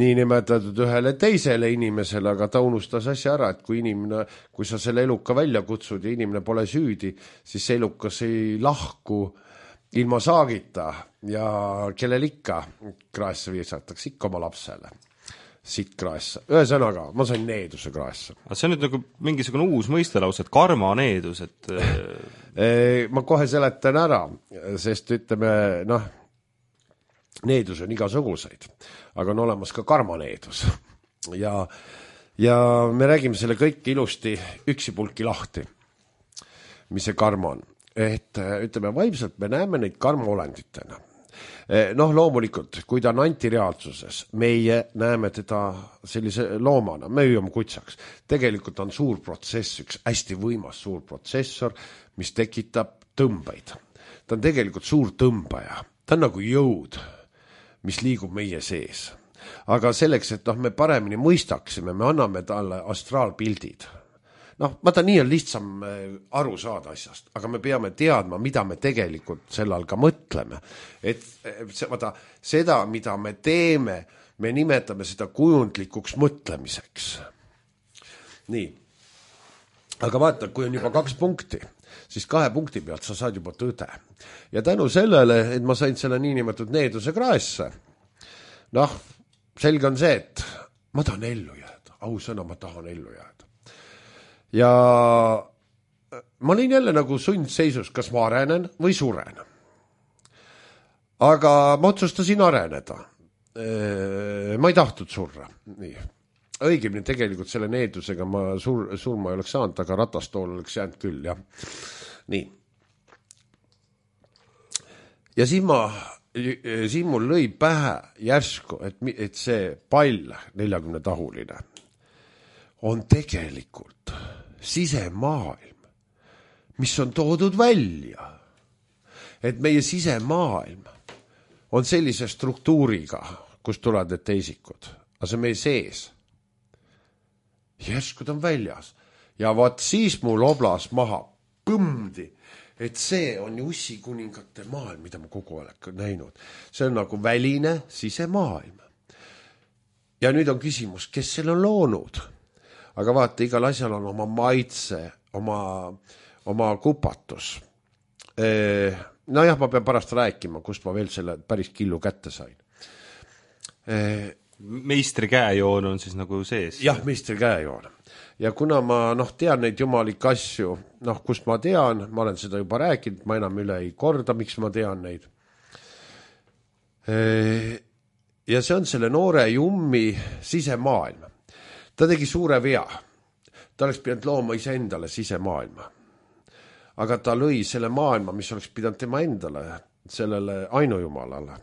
nii nimetatud ühele teisele inimesele, aga ta unustas asja ära, et kui inimene, kui sa selle eluka välja kutsud ja inimene pole süüdi, siis see elukas ei lahku ilma saagita ja kellel ikka kraesse viisatakse, ikka oma lapsele. Sitt kraessa. Ühesõnaga, ma sain needuse kraessa. See on nüüd nagu mingisugune uus mõistelaus, et karma needus, et... ma kohe seletan ära, sest ütleme, noh, needus on igasuguseid, aga on olemas ka karmaneedus. Ja, ja me räägime selle kõik ilusti üksipulki lahti, mis see karma on. Et ütleme, vaimselt me näeme neid karmaolenditena. Noh, loomulikult, kui ta on antireaalsuses, meie näeme teda sellise loomana, me hüüame kutsaks. Tegelikult on suur protsess, üks hästi võimas suur protsessor, mis tekitab tõmbaid. Ta on tegelikult suur tõmbaja. Ta on nagu jõud, mis liigub meie sees. Aga selleks, et noh, me paremini mõistaksime, me anname talle astraalpildid. Noh, vaata, nii on lihtsam aru saada asjast, aga me peame teadma, mida me tegelikult sellal ka mõtleme. Et vaata, seda, mida me teeme, me nimetame seda kujundlikuks mõtlemiseks. Nii. Aga vaata, kui on juba kaks punkti, siis kahe punkti pealt sa saad juba tõde. Ja tänu sellele, et ma sain selle niinimetatud needuse kraesse, noh, selge on see, et ma tahan ellu jääda. Ausõna, ma tahan ellu jääda. Ja ma olin jälle nagu sundseisus, kas ma arenen või suren. Aga ma otsustasin areneda. Ma ei tahtnud surra. Nii. Õigemini tegelikult selle needusega ma sur, surma ei oleks saanud, aga ratastool oleks jäänud küll, jah. Nii. Ja siin, ma, siin mul lõi pähe järsku, et, et see pall, neljakümne tahuline, on tegelikult sisemaailm, mis on toodud välja. Et meie sisemaailm on sellise struktuuriga, kus tulevad need teisikud. Aga see meie sees. Järskud on väljas. Ja vaat siis mul oblas maha. põmdi, et see on ju ussikuningate maailm, mida ma kogu aeg näinud. See on nagu väline sisemaailm. Ja nüüd on küsimus, kes selle on loonud? Aga vaata, igal asjal on oma maitse, oma, oma kupatus. No jah, ma pean pärast rääkima, kust ma veel selle päris killu kätte sain. Meistri käejoon on siis nagu sees? Jah, meistri käejoon. Ja kuna ma noh, tean neid jumalik asju, noh, kust ma tean, ma olen seda juba rääkinud, ma enam üle ei korda, miks ma tean neid. Ja see on selle noore jummi sisemaailm. Ta tegi suure vea. Ta oleks pidanud looma ise endale sisemaailma. Aga ta lõi selle maailma, mis oleks pidanud tema endale, sellele ainujumalale,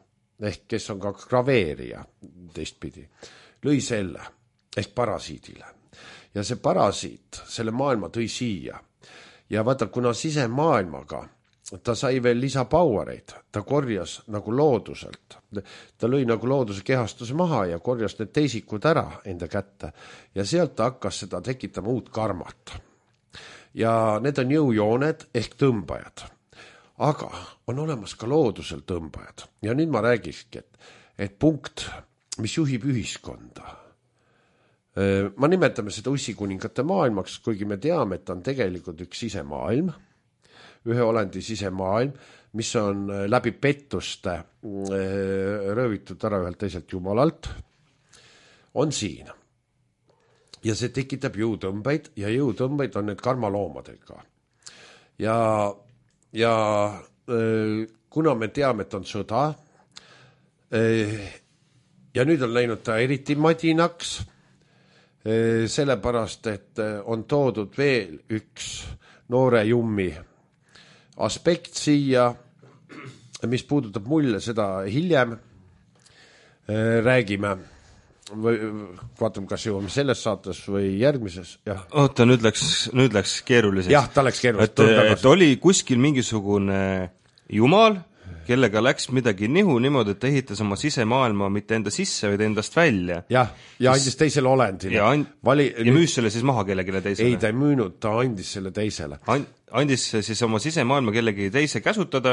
ehk kes on ka graveerija teistpidi, lõi selle, ehk parasiidile. Ja see parasiit, selle maailma tõi siia. Ja vaata, kuna sisemaailmaga ta sai veel lisapauereid, ta korjas nagu looduselt. Ta lõi nagu looduse kehastuse maha ja korjas need teisikud ära enda kätte. Ja sealt ta hakkas seda tekitama uut karmat. Ja need on jõujooned ehk tõmbajad. Aga on olemas ka loodusel tõmbajad. Ja nüüd ma räägiski, et, et punkt, mis juhib ühiskonda. Ma nimetame seda ussikuningate maailmaks, kuigi me teame, et on tegelikult üks sisemaailm, ühe olendi sisemaailm, mis on läbi pettuste röövitud ära ühelt teiselt jumalalt, on siin. Ja see tekitab jõutõmbeid ja jõutõmbeid on need karmaloomadega. Ja, ja kuna me teame, et on sõda, ja nüüd on läinud ta eriti madinaks, sellepärast, et on toodud veel üks noore jummi aspekt siia, mis puudutab mulle seda hiljem, räägime, või vaatame, kas jõuame selles saates või järgmises. Jah. Oota, nüüd läks, nüüd läks keeruliseks. Jah, ta läks keeruliseks. Et, et oli kuskil mingisugune jumal, kellega läks midagi nihu niimoodi, et ta ehitas oma sisemaailma mitte enda sisse, vaid endast välja. Jah, ja andis teisele olendile. Ja, and... Vali... ja müüs selle siis maha kellegile teisele? Ei, ta ei müünud, ta andis selle teisele. And... Andis siis oma sisemaailma kellegi teise käsutada,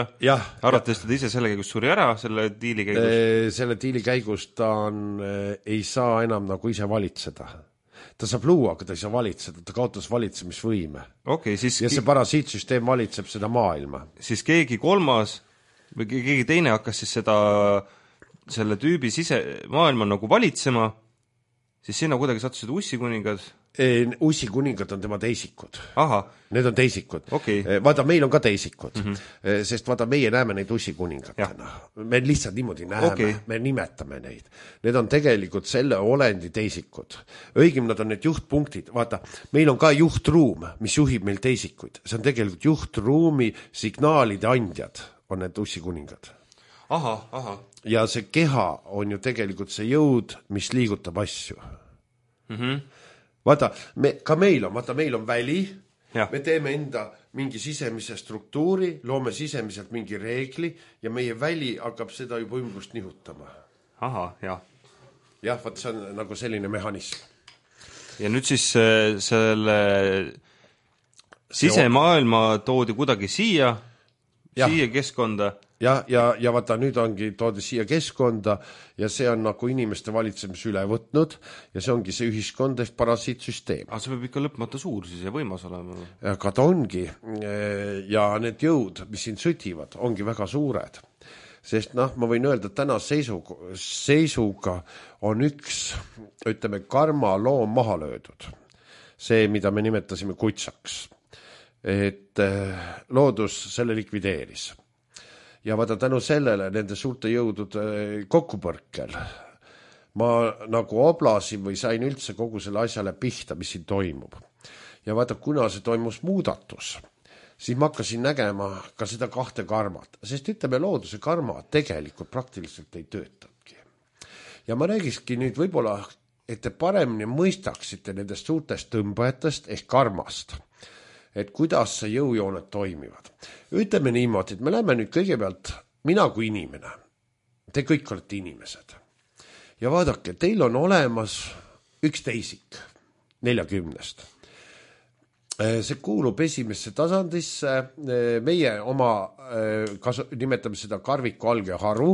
arvates ta ise selle käigus suri ära, selle diili käigus? Selle diili käigus ta on, ei saa enam nagu ise valitseda. Ta saab luua, aga ta ei saa valitseda, ta kaotas valitsemisvõime. Okay, siis... Ja see parasiitsüsteem valitseb seda maailma. Siis keegi kolmas või keegi teine hakkas siis seda, selle tüübi sise maailma nagu valitsema, siis sinna kuidagi sattusid ussikuningad? Ussikuningad on tema teisikud. Aha. Need on teisikud. Okay. Vaata, meil on ka teisikud, mm -hmm. sest vaata, meie näeme neid ussikuningatena. Me lihtsalt niimoodi näeme, okay. Me nimetame neid. Need on tegelikult selle olendi teisikud. Õigem nad on need juhtpunktid. Vaata, meil on ka juhtruum, mis juhib meil teisikuid. See on tegelikult juhtruumi signaalide andjad on need ussikuningad. Aha, aha. Ja see keha on ju tegelikult see jõud, mis liigutab asju. Mhm. Vaata, me, ka meil on, vaata, meil on väli, ja. Me teeme enda mingi sisemise struktuuri, loome sisemiselt mingi reegli ja meie väli hakkab seda juba ümbrust nihutama. Aha, jah. Jah, vaat see on nagu selline mehhanism. Ja nüüd siis selle sisemaailma toodi kuidagi siia, ja. Siia keskkonda. Ja, ja, ja vaata, nüüd ongi toodi siia keskkonda ja see on nagu inimeste valitsemis üle võtnud ja see ongi see ühiskond ehk parasiitsüsteem. Aga see peab ikka lõpmata suur siis ja võimas olema. Aga ta ongi ja need jõud, mis siin sõtivad, ongi väga suured. Sest noh, ma võin öelda, et täna seisuga, seisuga on üks, ütleme, karma loom maha löödud. See, mida me nimetasime kutsaks. Et loodus selle likvideeris. Ja vaata tänu sellele nende suurte jõudude kokkupõrkel ma nagu oblasin või sain üldse kogu selle asjale pihta, mis siin toimub. Ja vaata, kuna see toimus muudatus, siis ma hakkasin nägema ka seda kahte karmat, sest ütleme, looduse karma tegelikult praktiliselt ei töötadki. Ja ma räägiski nüüd võib-olla, et te paremini mõistaksite nendest suurtest tõmbajatest ehk karmast, et kuidas see jõujooned toimivad. Ütleme niimoodi, et me läheme nüüd kõigepealt, mina kui inimene, te kõik olete inimesed. Ja vaadake, teil on olemas üks teisik neljakümnest. see kuulub esimesse tasandisse, meie oma, kasu, nimetame seda karviku algeharu,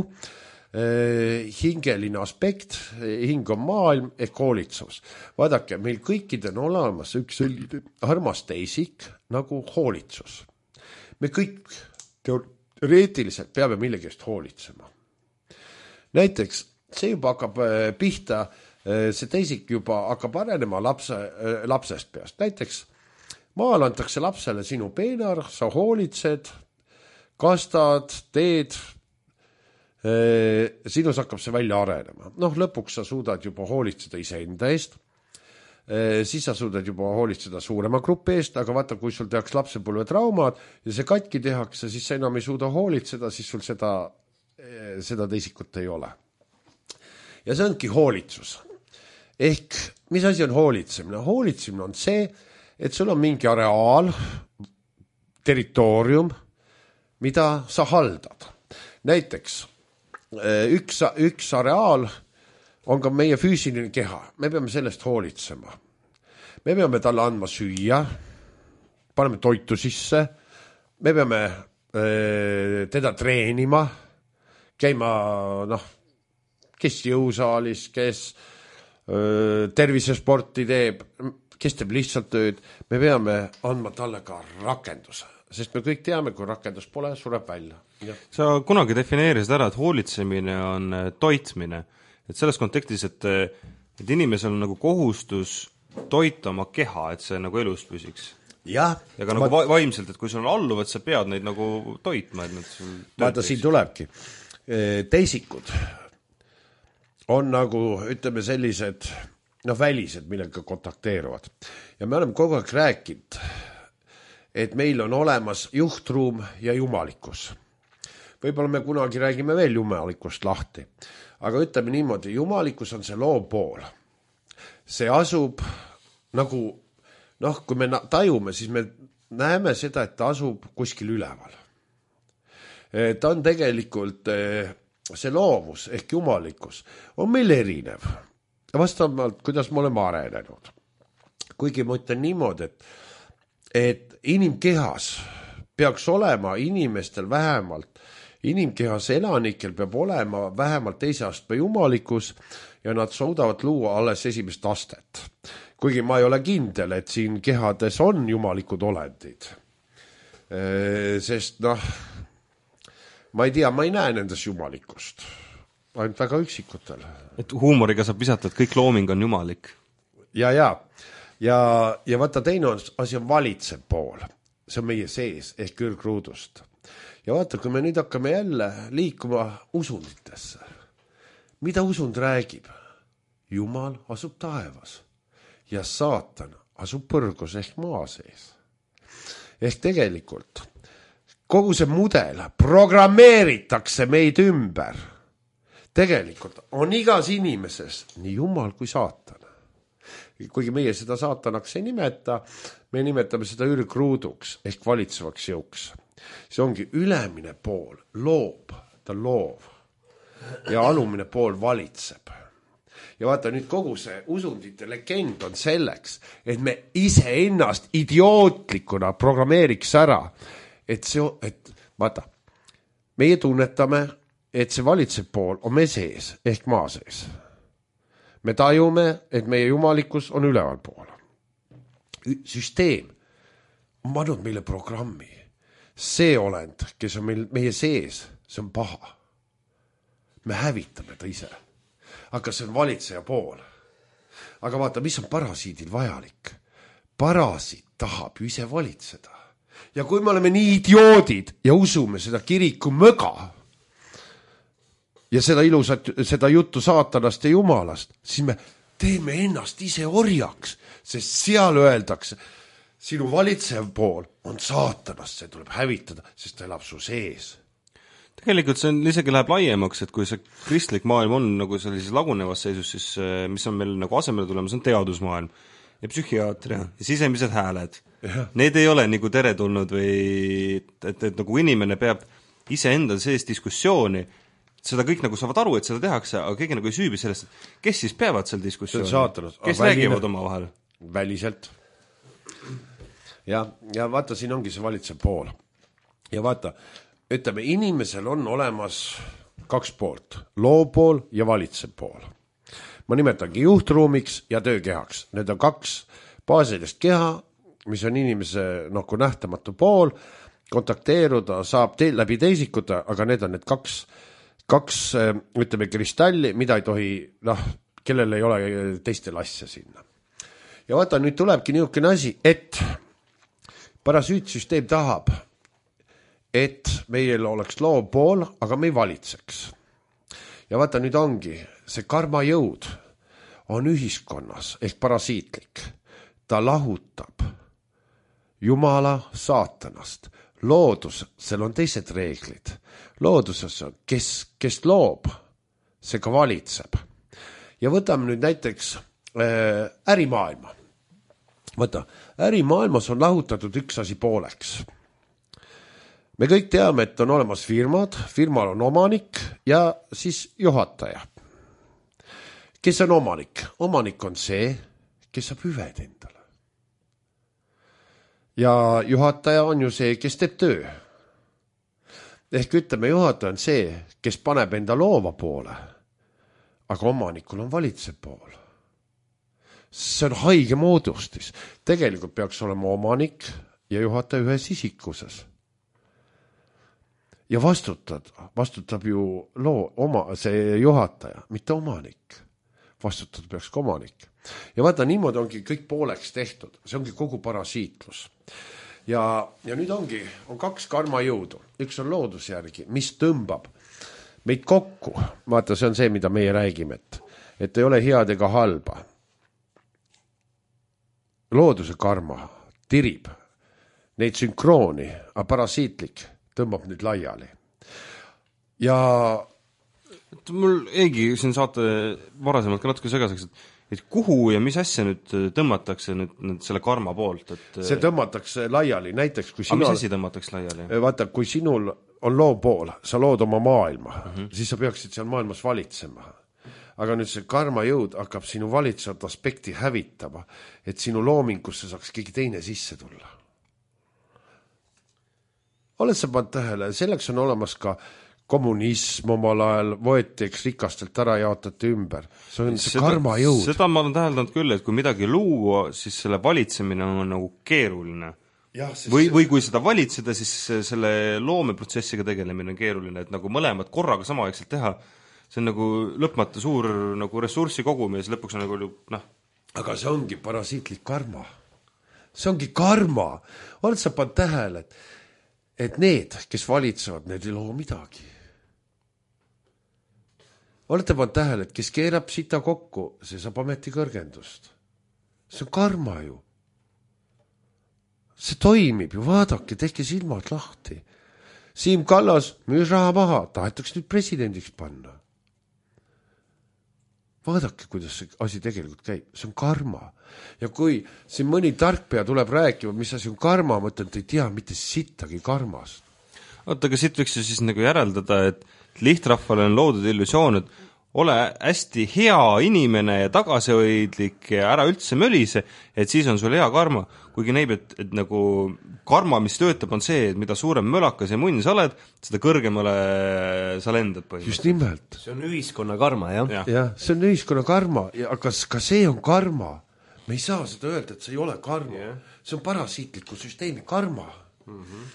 hingeline aspekt, hing on maailm ehk hoolitsus. Vaadake, meil kõikidel on olemas üks selline armas teisik nagu hoolitsus. Me kõik teoreetiliselt peame millegi eest hoolitsema. Näiteks see juba hakkab pihta, see teisik juba hakkab arenema lapse, lapsest peast. Näiteks maal antakse lapsele sinu peenar, sa hoolitsed, kastad, teed, sinus hakkab see välja arenema. Noh, lõpuks sa suudad juba hoolitseda iseenda eest, siis sa suudad juba hoolitseda suurema grupi eest, aga vaata, kui sul tehakse lapsepõlve traumad ja see katki tehakse, siis sa enam ei suuda hoolitseda, siis sul seda, seda teisikut ei ole. Ja see ongi hoolitsus. Ehk, mis asi on hoolitsemine? Hoolitsemine on see, et sul on mingi areaal, territoorium, mida sa haldad. Näiteks, üks, üks areaal on ka meie füüsiline keha. Me peame sellest hoolitsema. Me peame talle andma süüa, paneme toitu sisse, me peame teda treenima, käima, noh, kes jõusaalis, kes tervisesporti teeb, kes teeb lihtsalt tööd, me peame andma talle ka rakenduse, sest me kõik teame, kui rakendus pole, sureb välja. Ja. Sa kunagi defineerisid ära, et hoolitsemine on toitmine, et selles kontekstis, et, et inimesel on nagu kohustus toita oma keha, et see nagu elus püsiks. Ja, ja ka ma... nagu vaimselt, et kui sul on alluvad, sa pead neid nagu toitma, et nad sul vaata, siin tulebki. Teisikud on nagu, ütleme, sellised noh, välised, millega kontakteeruvad. Ja me oleme kogu aeg rääkinud, et meil on olemas juhtruum ja jumalikkus. Võib-olla me kunagi räägime veel jumalikust lahti. Aga ütleme niimoodi, jumalikkus on see loov pool. See asub nagu, noh, kui me tajume, siis me näeme seda, et ta asub kuskil üleval. Ta on tegelikult, see loovus ehk jumalikkus on meil erinev. Vastavalt, kuidas me oleme arenenud. Kuigi ma ütlen niimoodi, et, et inimkehas peaks olema inimestel vähemalt, inimkehas elanikel peab olema vähemalt teise astme jumalikkus ja nad suudavad luua alles esimest astet. Kuigi ma ei ole kindel, et siin kehades on jumalikud olendid. Sest noh, ma ei tea, ma ei näe nendes jumalikust. Ainult väga üksikutel. Et huumoriga saab visata, et kõik looming on jumalik. Ja, ja. Ja, ja vaata teine asi on valitsev pool. See on meie sees ehk kõrgruudust. Ja vaata, kui me nüüd hakkame jälle liikuma usunditesse. Mida usund räägib? Jumal asub taevas ja saatan asub põrgus ehk maa sees. Ehk tegelikult kogu see mudel programmeeritakse meid ümber. Tegelikult on igas inimeses nii jumal kui saatan. Kuigi meie seda saatanaks ei nimeta, me nimetame seda ürgruuduks ehk valitsevaks jõuks. See ongi ülemine pool, loob, ta loov ja alumine pool valitseb. Ja vaata nüüd kogu see usundite legend on selleks, et me ise ennast idiootlikuna programmeeriks ära, et see, et vaata, meie tunnetame, et see valitsev pool on meie sees ehk maa sees. Me tajume, et meie jumalikkus on üleval pool. Süsteem on pannud meile programmi. See olend, kes on meil, meie sees, see on paha. Me hävitame ta ise. Aga see on valitseja pool. Aga vaata, mis on parasiidil vajalik? Parasiit tahab ju ise valitseda. Ja kui me oleme nii idioodid ja usume seda kiriku möga, ja seda ilusat, seda juttu saatanast ja jumalast, siis me teeme ennast ise orjaks, sest seal öeldakse, sinu valitsev pool on saatanast, see tuleb hävitada, sest ta elab su sees. Tegelikult see on, isegi läheb laiemaks, et kui see kristlik maailm on nagu sellises lagunevas seisus, siis mis on meil nagu asemele tulemas, on teadusmaailm ja psühhiaatria ja sisemised hääled. Ja. Need ei ole nagu teretulnud või et, et, et nagu inimene peab ise endal sees diskussiooni, seda kõik nagu saavad aru, et seda tehakse, aga keegi nagu ei süübi sellest, et kes siis peavad seal diskussiooni? Kes räägivad oma vahel? Väliselt. ja, ja vaata, siin ongi see valitsev pool. Ja vaata, ütleme, inimesel on olemas kaks poolt, loopool ja valitsev pool. Ma nimetangi juhtruumiks ja töökehaks. Need on kaks baasilist keha, mis on inimese nagu nähtamatu pool, kontakteeruda saab te läbi teisikute, aga need on need kaks, kaks ütleme, kristalli, mida ei tohi, noh, kellel ei ole teistel asja sinna. Ja vaata, nüüd tulebki niisugune asi, et parasüütsüsteem tahab, et meil oleks loopool, aga me ei valitseks. Ja vaata, nüüd ongi, see karmajõud on ühiskonnas ehk parasiitlik. Ta lahutab Jumala saatanast. Loodus, seal on teised reeglid. Looduses on, kes, kes loob, see ka valitseb. Ja võtame nüüd näiteks äh, ärimaailma. Võta, ärimaailmas on lahutatud üks asi pooleks. Me kõik teame, et on olemas firmad, firmal on omanik ja siis juhataja. Kes on omanik? Omanik on see, kes saab hüved endale. Ja juhataja on ju see, kes teeb töö. Ehk ütleme, juhataja on see, kes paneb enda loova poole, aga omanikul on valitsev pool. See on haige moodustis. Tegelikult peaks olema omanik ja juhataja ühes isikuses. Ja vastutad, vastutab ju loo, oma, see juhataja, mitte omanik. Vastutada peaks ka omanik. Ja vaata, niimoodi ongi kõik pooleks tehtud. See ongi kogu parasiitlus. Ja, ja nüüd ongi, on kaks karmajõudu. Üks on loodusjärgi, mis tõmbab meid kokku. Vaata, see on see, mida meie räägime, et, et ei ole head ega halba. Looduse karma tirib neid sünkrooni, aga parasiitlik tõmbab nüüd laiali. Ja mul eegi siin saate varasemalt ka natuke segaseks, et, et kuhu ja mis asja nüüd tõmmatakse nüüd, nüüd selle karma poolt? Et, see tõmmatakse laiali, näiteks kui sinul... Aga mis asi tõmmatakse laiali? Vaata, kui sinul on loo pool, sa lood oma maailma, uh -huh. siis sa peaksid seal maailmas valitsema. Aga nüüd see karmajõud hakkab sinu valitsevat aspekti hävitama, et sinu loomingusse saaks keegi teine sisse tulla. Oled sa pannud tähele, selleks on olemas ka kommunism omal ajal, võeti eks rikastelt ära jaotati ümber. See on see seda, karmajõud. Seda ma olen täheldanud küll, et kui midagi luua, siis selle valitsemine on nagu keeruline. Ja, või, või kui seda valitseda, siis selle loomeprotsessiga tegelemine on keeruline, et nagu mõlemad korraga samaaegselt teha, see on nagu lõpmata suur nagu ressurssi kogum ja siis lõpuks on nagu noh. Aga see ongi parasiitlik karma. See ongi karma. Oled sa pannud tähele, et, et need, kes valitsevad, need ei loo midagi. Olete pannud tähele, et kes keerab sita kokku, see saab ameti kõrgendust. See on karma ju. See toimib ju, vaadake, tehke silmad lahti. Siim Kallas müüs raha maha, tahetaks nüüd presidendiks panna. Vaadake, kuidas see asi tegelikult käib. See on karma. Ja kui siin mõni tarkpea tuleb rääkima, mis asi on karma, ma ütlen, et ei tea mitte sittagi karmast. Oota, aga siit võiks ju siis nagu järeldada, et lihtrahvale on loodud illusioon, et ole hästi hea inimene ja tagasihoidlik ja ära üldse mölise, et siis on sul hea karma. Kuigi näib, et, et nagu karma, mis töötab, on see, et mida suurem mölakas ja munn sa oled, seda kõrgemale sa lendad põhimõtteliselt. Just nimelt. See on ühiskonna karma, jah? Ja, ja see on ühiskonna karma, aga ka see on karma. Me ei saa seda öelda, et see ei ole karma. Yeah. See on parasiitliku süsteemi karma. Mm-hmm.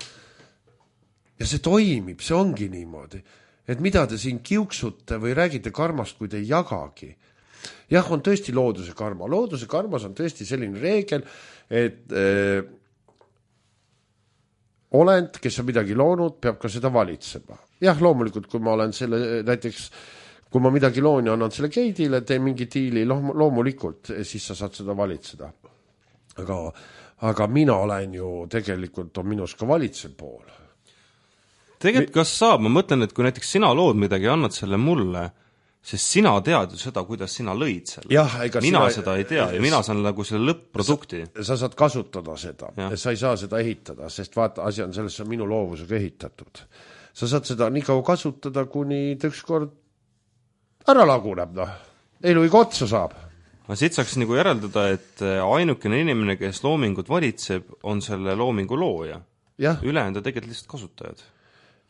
Ja see toimib, see ongi niimoodi. Et mida te siin kiuksute või räägite karmast, kui te ei jagagi. Jah, on tõesti looduse karma. Looduse karmas on tõesti selline reegel, et äh, olend, kes on midagi loonud, peab ka seda valitsema. Jah, loomulikult, kui ma olen selle, näiteks, kui ma midagi loon ja annan selle geidile, teen mingi diili, loomulikult, siis sa saad seda valitseda. Aga, aga mina olen ju, tegelikult on minus ka valitsev pool. Tegelikult kas saab, ma mõtlen, et kui näiteks sina lood midagi ja annad selle mulle, sest sina tead ju seda, kuidas sina lõid selle. Jah, mina sina... seda ei tea ja mina saan nagu selle lõpp-produkti. Sa, sa saad kasutada seda ja sa ei saa seda ehitada, sest vaata, asi on selles, on minu loovusega ehitatud. Sa saad seda nii kaua kasutada, kuni ükskord ära laguneb, noh. Elu iga otsa saab. aga siit saaks nagu järeldada, et ainukene inimene, kes loomingut valitseb, on selle loomingu looja. Ülejäänud tegelikult lihtsalt kasutajad.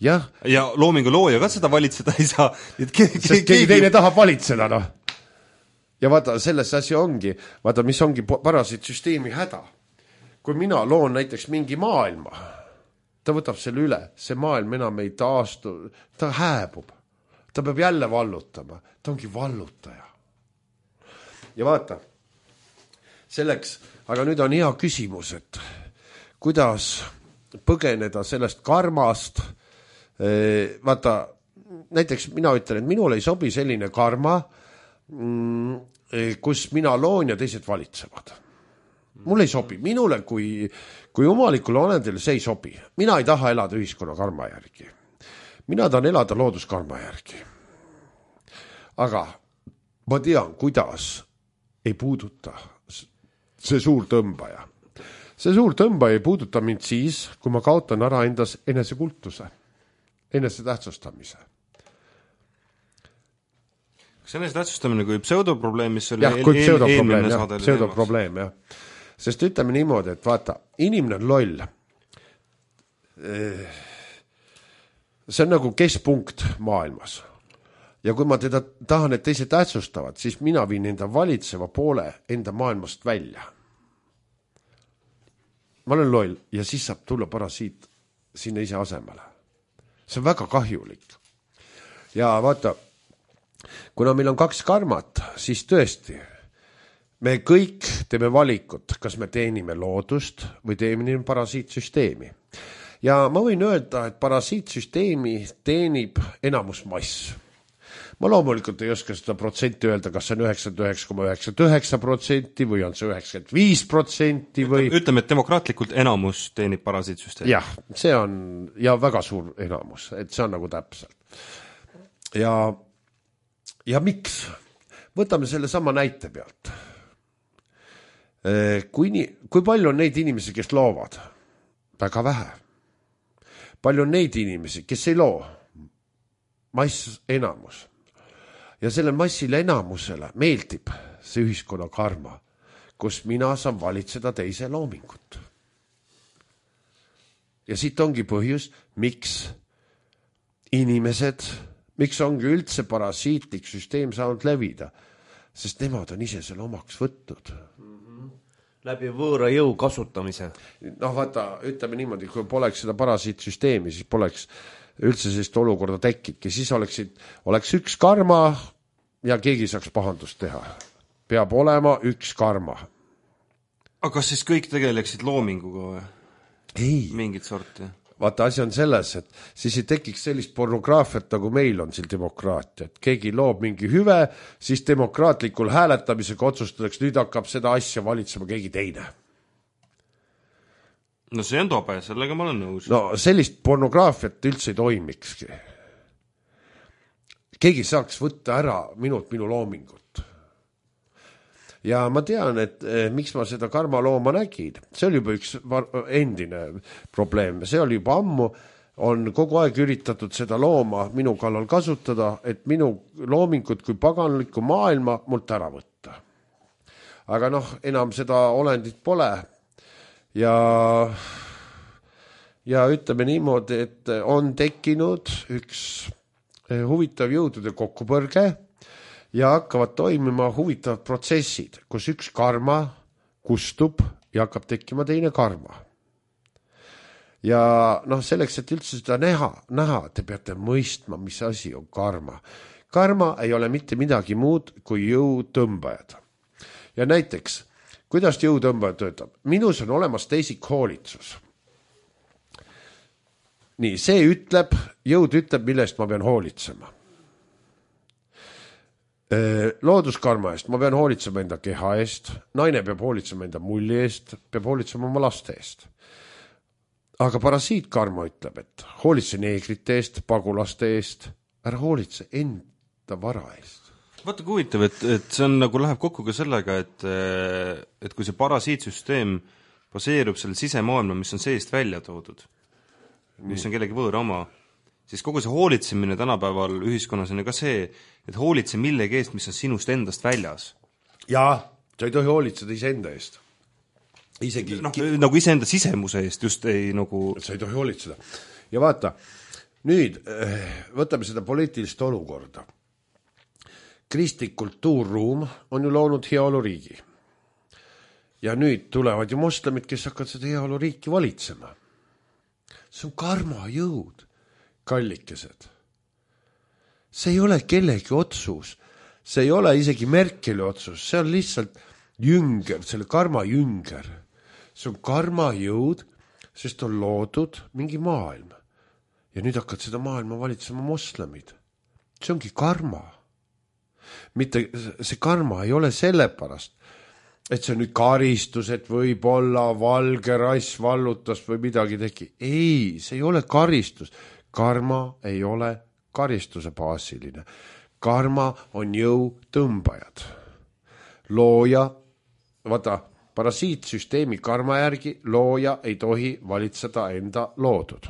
Jah. Ja loomingu looja ka seda valitseda ei saa. Et keegi, sest keegi teine tahab valitseda, noh. Ja vaata, selles asi ongi, vaata, mis ongi parasiitsüsteemi häda. Kui mina loon näiteks mingi maailma, ta võtab selle üle, see maailm enam ei taastu, ta hääbub. Ta peab jälle vallutama. Ta ongi vallutaja. Ja vaata, selleks, aga nüüd on hea küsimus, et kuidas põgeneda sellest karmast. Vaata, näiteks mina ütlen, et minul ei sobi selline karma, kus mina loon ja teised valitsevad. Mul ei sobi. Minule kui, kui omalikule olendile see ei sobi. Mina ei taha elada ühiskonna karma järgi. Mina tahan elada looduskarma järgi. Aga ma tean, kuidas ei puuduta see suur tõmbaja. See suur tõmbaja ei puuduta mind siis, kui ma kaotan ära endas enesekultuse, enese tähtsustamise. Kas enesetähtsustamine kui pseudoprobleem, mis oli jah, kui eel, eelmine saade? Pseudoprobleem, jah. Sest ütleme niimoodi, et vaata, inimene on loll. See on nagu keskpunkt maailmas. Ja kui ma teda tahan, et teised tähtsustavad, siis mina viin enda valitseva poole enda maailmast välja. Ma olen loll ja siis saab tulla parasiit sinna ise asemele. See on väga kahjulik. Ja vaata, kuna meil on kaks karmat, siis tõesti, me kõik teeme valikut, kas me teenime loodust või teenime parasiitsüsteemi. Ja ma võin öelda, et parasiitsüsteemi teenib enamus mass. Ma loomulikult ei oska seda protsenti öelda, kas see on üheksakümmend üheksa koma üheksakümmend üheksa protsenti või on see üheksakümmend viis protsenti või... Ütleme, et demokraatlikult enamus teenib parasiitsüsteemi. Jah, see on ja väga suur enamus, et see on nagu täpselt. Ja, ja miks? Võtame selle sama näite pealt. Kui, nii, kui palju on neid inimesi, kes loovad? Väga vähe. Palju on neid inimesi, kes ei loo? Mass enamus. Ja selle massile enamusele meeldib see ühiskonna karma, kus mina saan valitseda teise loomingut. Ja siit ongi põhjus, miks inimesed, miks ongi üldse parasiitlik süsteem saanud levida, sest nemad on ise selle omaks võtnud. Mm-hmm. Läbi võõra jõu kasutamise. Noh, vaata, ütleme niimoodi, kui poleks seda parasiitsüsteemi, siis poleks üldse sellist olukorda tekibki, siis oleksid, oleks üks karma ja keegi saaks pahandust teha. Peab olema üks karma. Aga kas siis kõik tegeleksid loominguga või? Ei. Mingit sorti? Vaata, asi on selles, et siis ei tekiks sellist pornograafiat, nagu meil on siin demokraatia. Et keegi loob mingi hüve, siis demokraatlikul hääletamisega otsustadaks, nüüd hakkab seda asja valitsema keegi teine. No see on tobe, sellega ma olen nõus. No sellist pornograafiat üldse ei toimikski. Keegi saaks võtta ära minult minu loomingut. Ja ma tean, et eh, miks ma seda karmalooma nägin. See oli juba üks endine probleem. See oli juba ammu, on kogu aeg üritatud seda looma minu kallal kasutada, et minu loomingut kui paganlikku maailma mult ära võtta. Aga noh, enam seda olendit pole. Ja, ja ütleme niimoodi, et on tekkinud üks huvitav jõudude kokkupõrge ja hakkavad toimima huvitavad protsessid, kus üks karma kustub ja hakkab tekkima teine karma. Ja noh, selleks, et üldse seda näha, näha, te peate mõistma, mis asi on karma. Karma ei ole mitte midagi muud kui jõutõmbajad. Ja näiteks kuidas jõutõmbaja töötab? Minus on olemas teisik hoolitsus. Nii, see ütleb, jõud ütleb, millest ma pean hoolitsema. Looduskarma eest ma pean hoolitsema enda keha eest, naine peab hoolitsema enda mulli eest, peab hoolitsema oma laste eest. Aga parasiitkarma ütleb, et hoolitse neegrite eest, pagulaste eest, ära hoolitse enda vara eest. Vaata kui huvitav, et, et see on nagu läheb kokku ka sellega, et, et kui see parasiitsüsteem baseerub selle sisemaailma, mis on seest välja toodud, mis on kellegi võõra oma, siis kogu see hoolitsemine tänapäeval ühiskonnas on ka see, et hoolitse millegi eest, mis on sinust endast väljas. jaa, sa ei tohi hoolitseda iseenda eest. Isegi no, nagu iseenda sisemuse eest just ei nagu... sa ei tohi hoolitseda. Ja vaata, nüüd võtame seda poliitilist olukorda. Kristlik kultuurruum on ju loonud heaoluriigi. Ja nüüd tulevad ju moslemid, kes hakkavad seda heaoluriiki valitsema. See on karmajõud, kallikesed. See ei ole kellegi otsus. See ei ole isegi Merkeli otsus. See on lihtsalt jünger, selle karmajünger. See on karmajõud, sest on loodud mingi maailm. Ja nüüd hakkavad seda maailma valitsema moslemid. See ongi karma. Mitte, see karma ei ole sellepärast, et see on nüüd karistus, et võib-olla valge rass vallutas või midagi tegi. Ei, see ei ole karistus. Karma ei ole karistuse baasiline. Karma on jõu tõmbajad. Looja, vaata, parasiitsüsteemi karma järgi looja ei tohi valitseda enda loodud.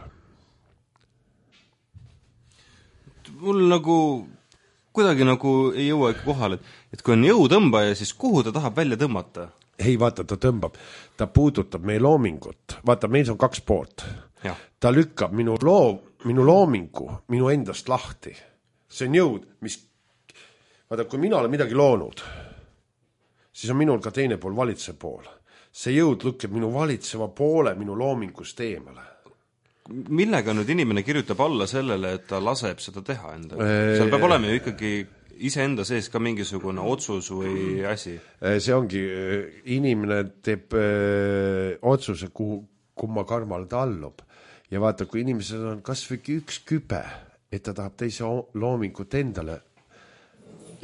Mul nagu kuidagi nagu ei jõua ikka kohale, et, et kui on jõutõmbaja, siis kuhu ta tahab välja tõmmata? Ei, vaata, ta tõmbab. Ta puudutab meie loomingut. Vaata, meil on kaks poolt. Ja. Ta lükkab minu, loo, minu loomingu minu endast lahti. See on jõud, mis... Vaata, kui mina olen midagi loonud, siis on minul ka teine pool, valitsev pool. See jõud lükkab minu valitseva poole minu loomingust eemale. Millega nüüd inimene kirjutab alla sellele, et ta laseb seda teha enda? Seal peab olema ju ikkagi iseenda sees ka mingisugune otsus või asi. See ongi, inimene teeb öö, otsuse, kuhu, kumma karmal ta allub. Ja vaata, kui inimesed on kas või üks kübe, et ta tahab teise loomingut endale,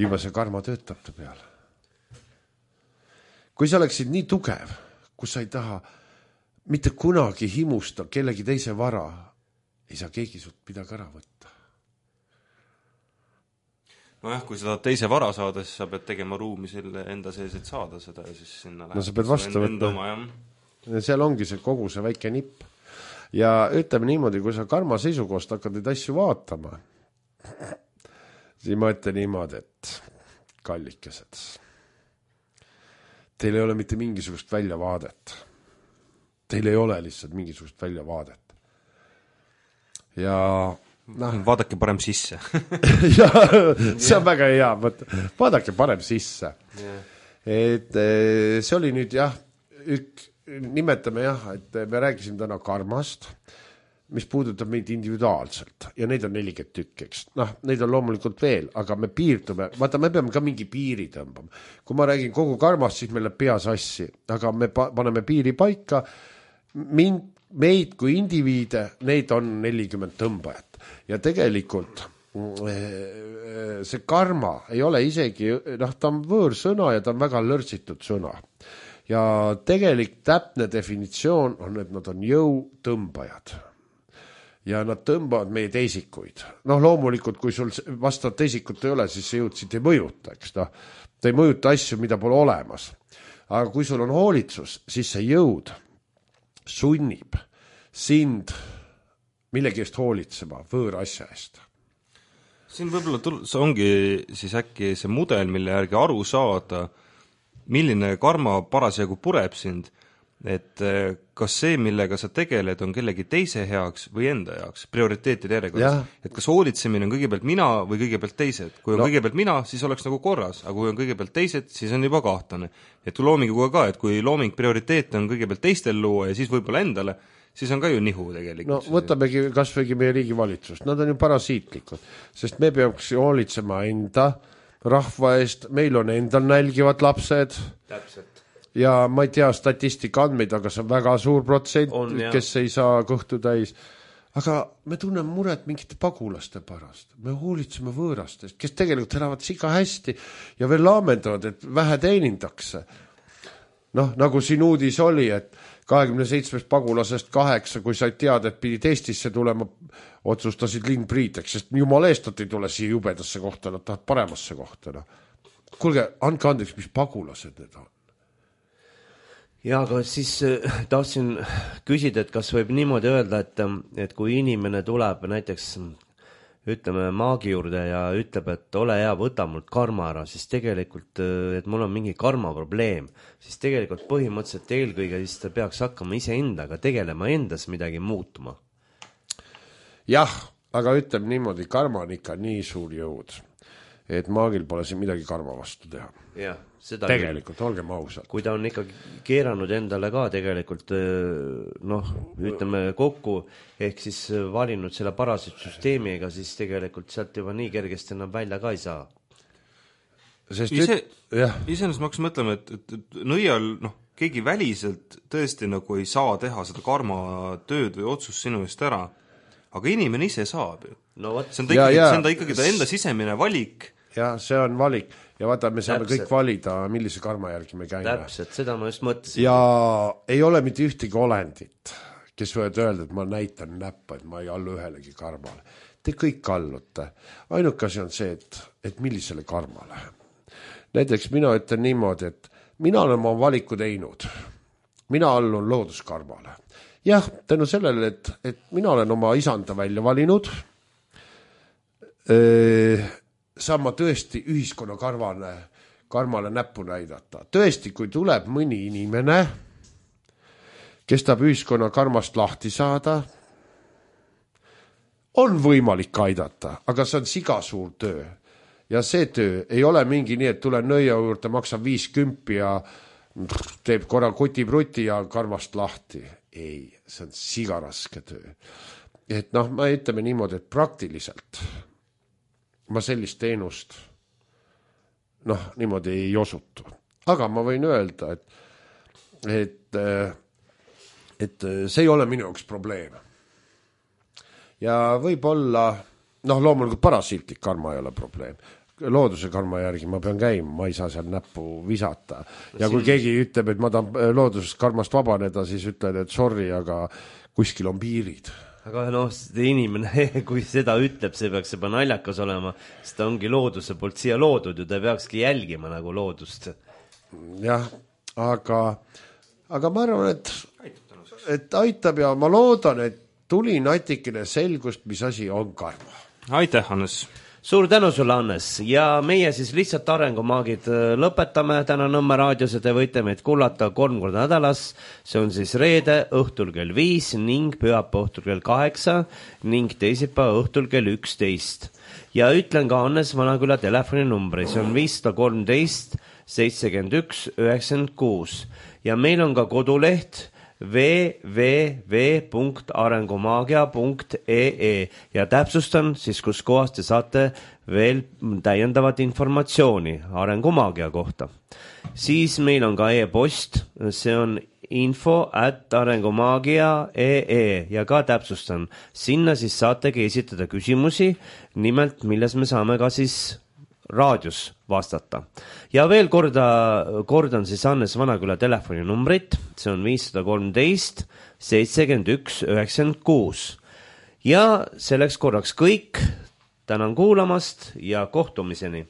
juba see karma töötab ta peal. Kui sa oleksid nii tugev, kus sa ei taha mitte kunagi himusta kellegi teise vara, ei saa keegi sult midagi ära võtta. Nojah, kui sa tahad teise vara saada, siis sa pead tegema ruumi selle enda sees, et saada seda ja siis sinna läheb. No sa pead vastu võtta. Ja seal ongi see kogu see väike nipp. Ja ütleme niimoodi, kui sa karma seisukohast hakkad neid asju vaatama, siis ma ütlen niimoodi, et kallikesed, teil ei ole mitte mingisugust väljavaadet. Teil ei ole lihtsalt mingisugust väljavaadet. Ja noh, vaadake parem sisse. ja, see on väga hea. Vaadake parem sisse. Yeah. Et see oli nüüd jah, ük, nimetame jah, et me rääkisime täna karmast, mis puudutab meid individuaalselt ja neid on nelikümmend tükk, eks. Noh, neid on loomulikult veel, aga me piirdume, vaata, me peame ka mingi piiri tõmbama. Kui ma räägin kogu karmast, siis meil läheb pea sassi, aga me paneme piiri paika. Mind, meid kui indiviide, neid on nelikümmend tõmbajat ja tegelikult see karma ei ole isegi, noh, ta on võõrsõna ja ta on väga lörtsitud sõna ja tegelik täpne definitsioon on, et nad on jõutõmbajad ja nad tõmbavad meie teisikuid. Noh, loomulikult, kui sul vastavat teisikut ei ole, siis see jõud siit ei mõjuta, eks ta, ta ei mõjuta asju, mida pole olemas. Aga kui sul on hoolitsus, siis see jõud sunnib sind millegi eest hoolitsema, võõra asja eest. Siin võib-olla tul- see ongi siis äkki see mudel, mille järgi aru saada, milline karma parasjagu pureb sind, et kas see, millega sa tegeled, on kellegi teise heaks või enda heaks, prioriteetide järjekorras. Et kas hoolitsemine on kõigepealt mina või kõigepealt teised. Kui on no. kõigepealt mina, siis oleks nagu korras, aga kui on kõigepealt teised, siis on juba kahtlane. Et loominguga ka, et kui looming prioriteet on kõigepealt teistel luua ja siis võib-olla endale, siis on ka ju nihu tegelikult. No võtamegi kas võigi meie riigivalitsust, nad on ju parasiitlikud, sest me peaks hoolitsema enda rahva eest, meil on endal nälgivad lapsed. Täpselt. Ja ma ei tea statistika andmeid, aga see on väga suur protsent, on, kes ei saa kõhtu täis. Aga me tunneme muret mingite pagulaste pärast. Me hoolitseme võõrastest, kes tegelikult elavad siga hästi ja veel laamendavad, et vähe teenindakse. Noh, nagu siin uudis oli, et kahekümne seitsmest pagulasest kaheksa, kui sa ei tead, et pidid Eestisse tulema, otsustasid linnpriiteks, sest jumala eest nad ei tule siia jubedasse kohta, nad tahavad paremasse kohta. No. Kuulge, andke andeks, mis pagulased need on? Ja, aga siis tahtsin küsida, et kas võib niimoodi öelda, et, et kui inimene tuleb näiteks ütleme maagi juurde ja ütleb, et ole hea, võta mult karma ära, siis tegelikult, et mul on mingi karma probleem, siis tegelikult põhimõtteliselt eelkõige siis ta peaks hakkama iseendaga tegelema, endas midagi muutuma. Jah, aga ütleb niimoodi, karma on ikka nii suur jõud, et maagil pole siin midagi karma vastu teha. Jah, seda tegelikult, küll. Olgem ausalt. Kui ta on ikka keeranud endale ka tegelikult, noh, ütleme kokku, ehk siis valinud selle parasitsüsteemiga, siis tegelikult sealt juba nii kergesti enam välja ka ei saa. Sest ise, iseenesest ma hakkasin mõtlema, et, et, et nõial, noh, keegi väliselt tõesti nagu ei saa teha seda karma tööd või otsust sinu eest ära, aga inimene ise saab ju. No, see on ta ikkagi, ja, ja. See on ta ikkagi ta enda sisemine valik. Ja see on valik. Ja vaata, me saame Täpselt. Kõik valida, millise karma järgi me käime. Täpselt, seda ma just mõtlesin. Ja ei ole mitte ühtegi olendit, kes võivad öelda, et ma näitan näppa, et ma ei allu ühelegi karmale. Te kõik allute. Ainuke asi on see, et, et millisele karmale. Näiteks mina ütlen niimoodi, et mina olen oma valiku teinud. Mina allun looduskarmale. Jah, tänu sellele, et, et mina olen oma isanda välja valinud, öö, saan ma tõesti ühiskonna karvane, karmale näppu näidata. Tõesti, kui tuleb mõni inimene, kes tahab ühiskonna karmast lahti saada, on võimalik aidata, aga see on siga suur töö. Ja see töö ei ole mingi nii, et tulen nõia juurde, maksab viis kümpi ja teeb korra kuti-bruti ja karmast lahti. Ei, see on siga raske töö. Et noh, ma ütleme niimoodi, et praktiliselt ma sellist teenust noh, niimoodi ei osutu. Aga ma võin öelda, et, et, et see ei ole minu jaoks probleem. Ja võib-olla, noh, loomulikult parasiitlik karma ei ole probleem. Looduse karma järgi ma pean käima, ma ei saa seal näppu visata. Ja kui keegi ütleb, et ma tahan loodusest karmast vabaneda, siis ütlen, et sorry, aga kuskil on piirid. Aga noh, inimene, kui seda ütleb, see peaks juba naljakas olema, sest ta ongi looduse poolt siia loodud ja ta peakski jälgima nagu loodust. Jah, aga, aga ma arvan, et, et aitab ja ma loodan, et tuli natikene selgust, mis asi on karma. Aitäh, Hannes! Suur tänu sulle, Hannes, ja meie siis lihtsalt arengumaagid lõpetame täna Nõmme raadios ja te võite meid kuulata kolm korda nädalas, see on siis reede õhtul kell viis ning pühapäeva õhtul kell kaheksa ning teisipäeva õhtul kell üksteist. Ja ütlen ka Hannes Vanaküla telefoninumbri, see on viis kolmteist seitsekümmend üks üheksakümmend kuus ja meil on ka koduleht w w w punkt arengumaagia punkt e e ja täpsustan siis, kus kohas te saate veel täiendavat informatsiooni arengumaagia kohta. Siis meil on ka e-post, see on info at arengumaagia punkt e e ja ka täpsustan, sinna siis saategi esitada küsimusi, nimelt milles me saame ka siis raadios vastata. Ja veel korda, kordan siis Hannes Vanaküla telefoninumbrit, see on viis kolmteist seitsekümmend üks üheksakümmend kuus. Ja selleks korraks kõik, tänan kuulamast ja kohtumiseni!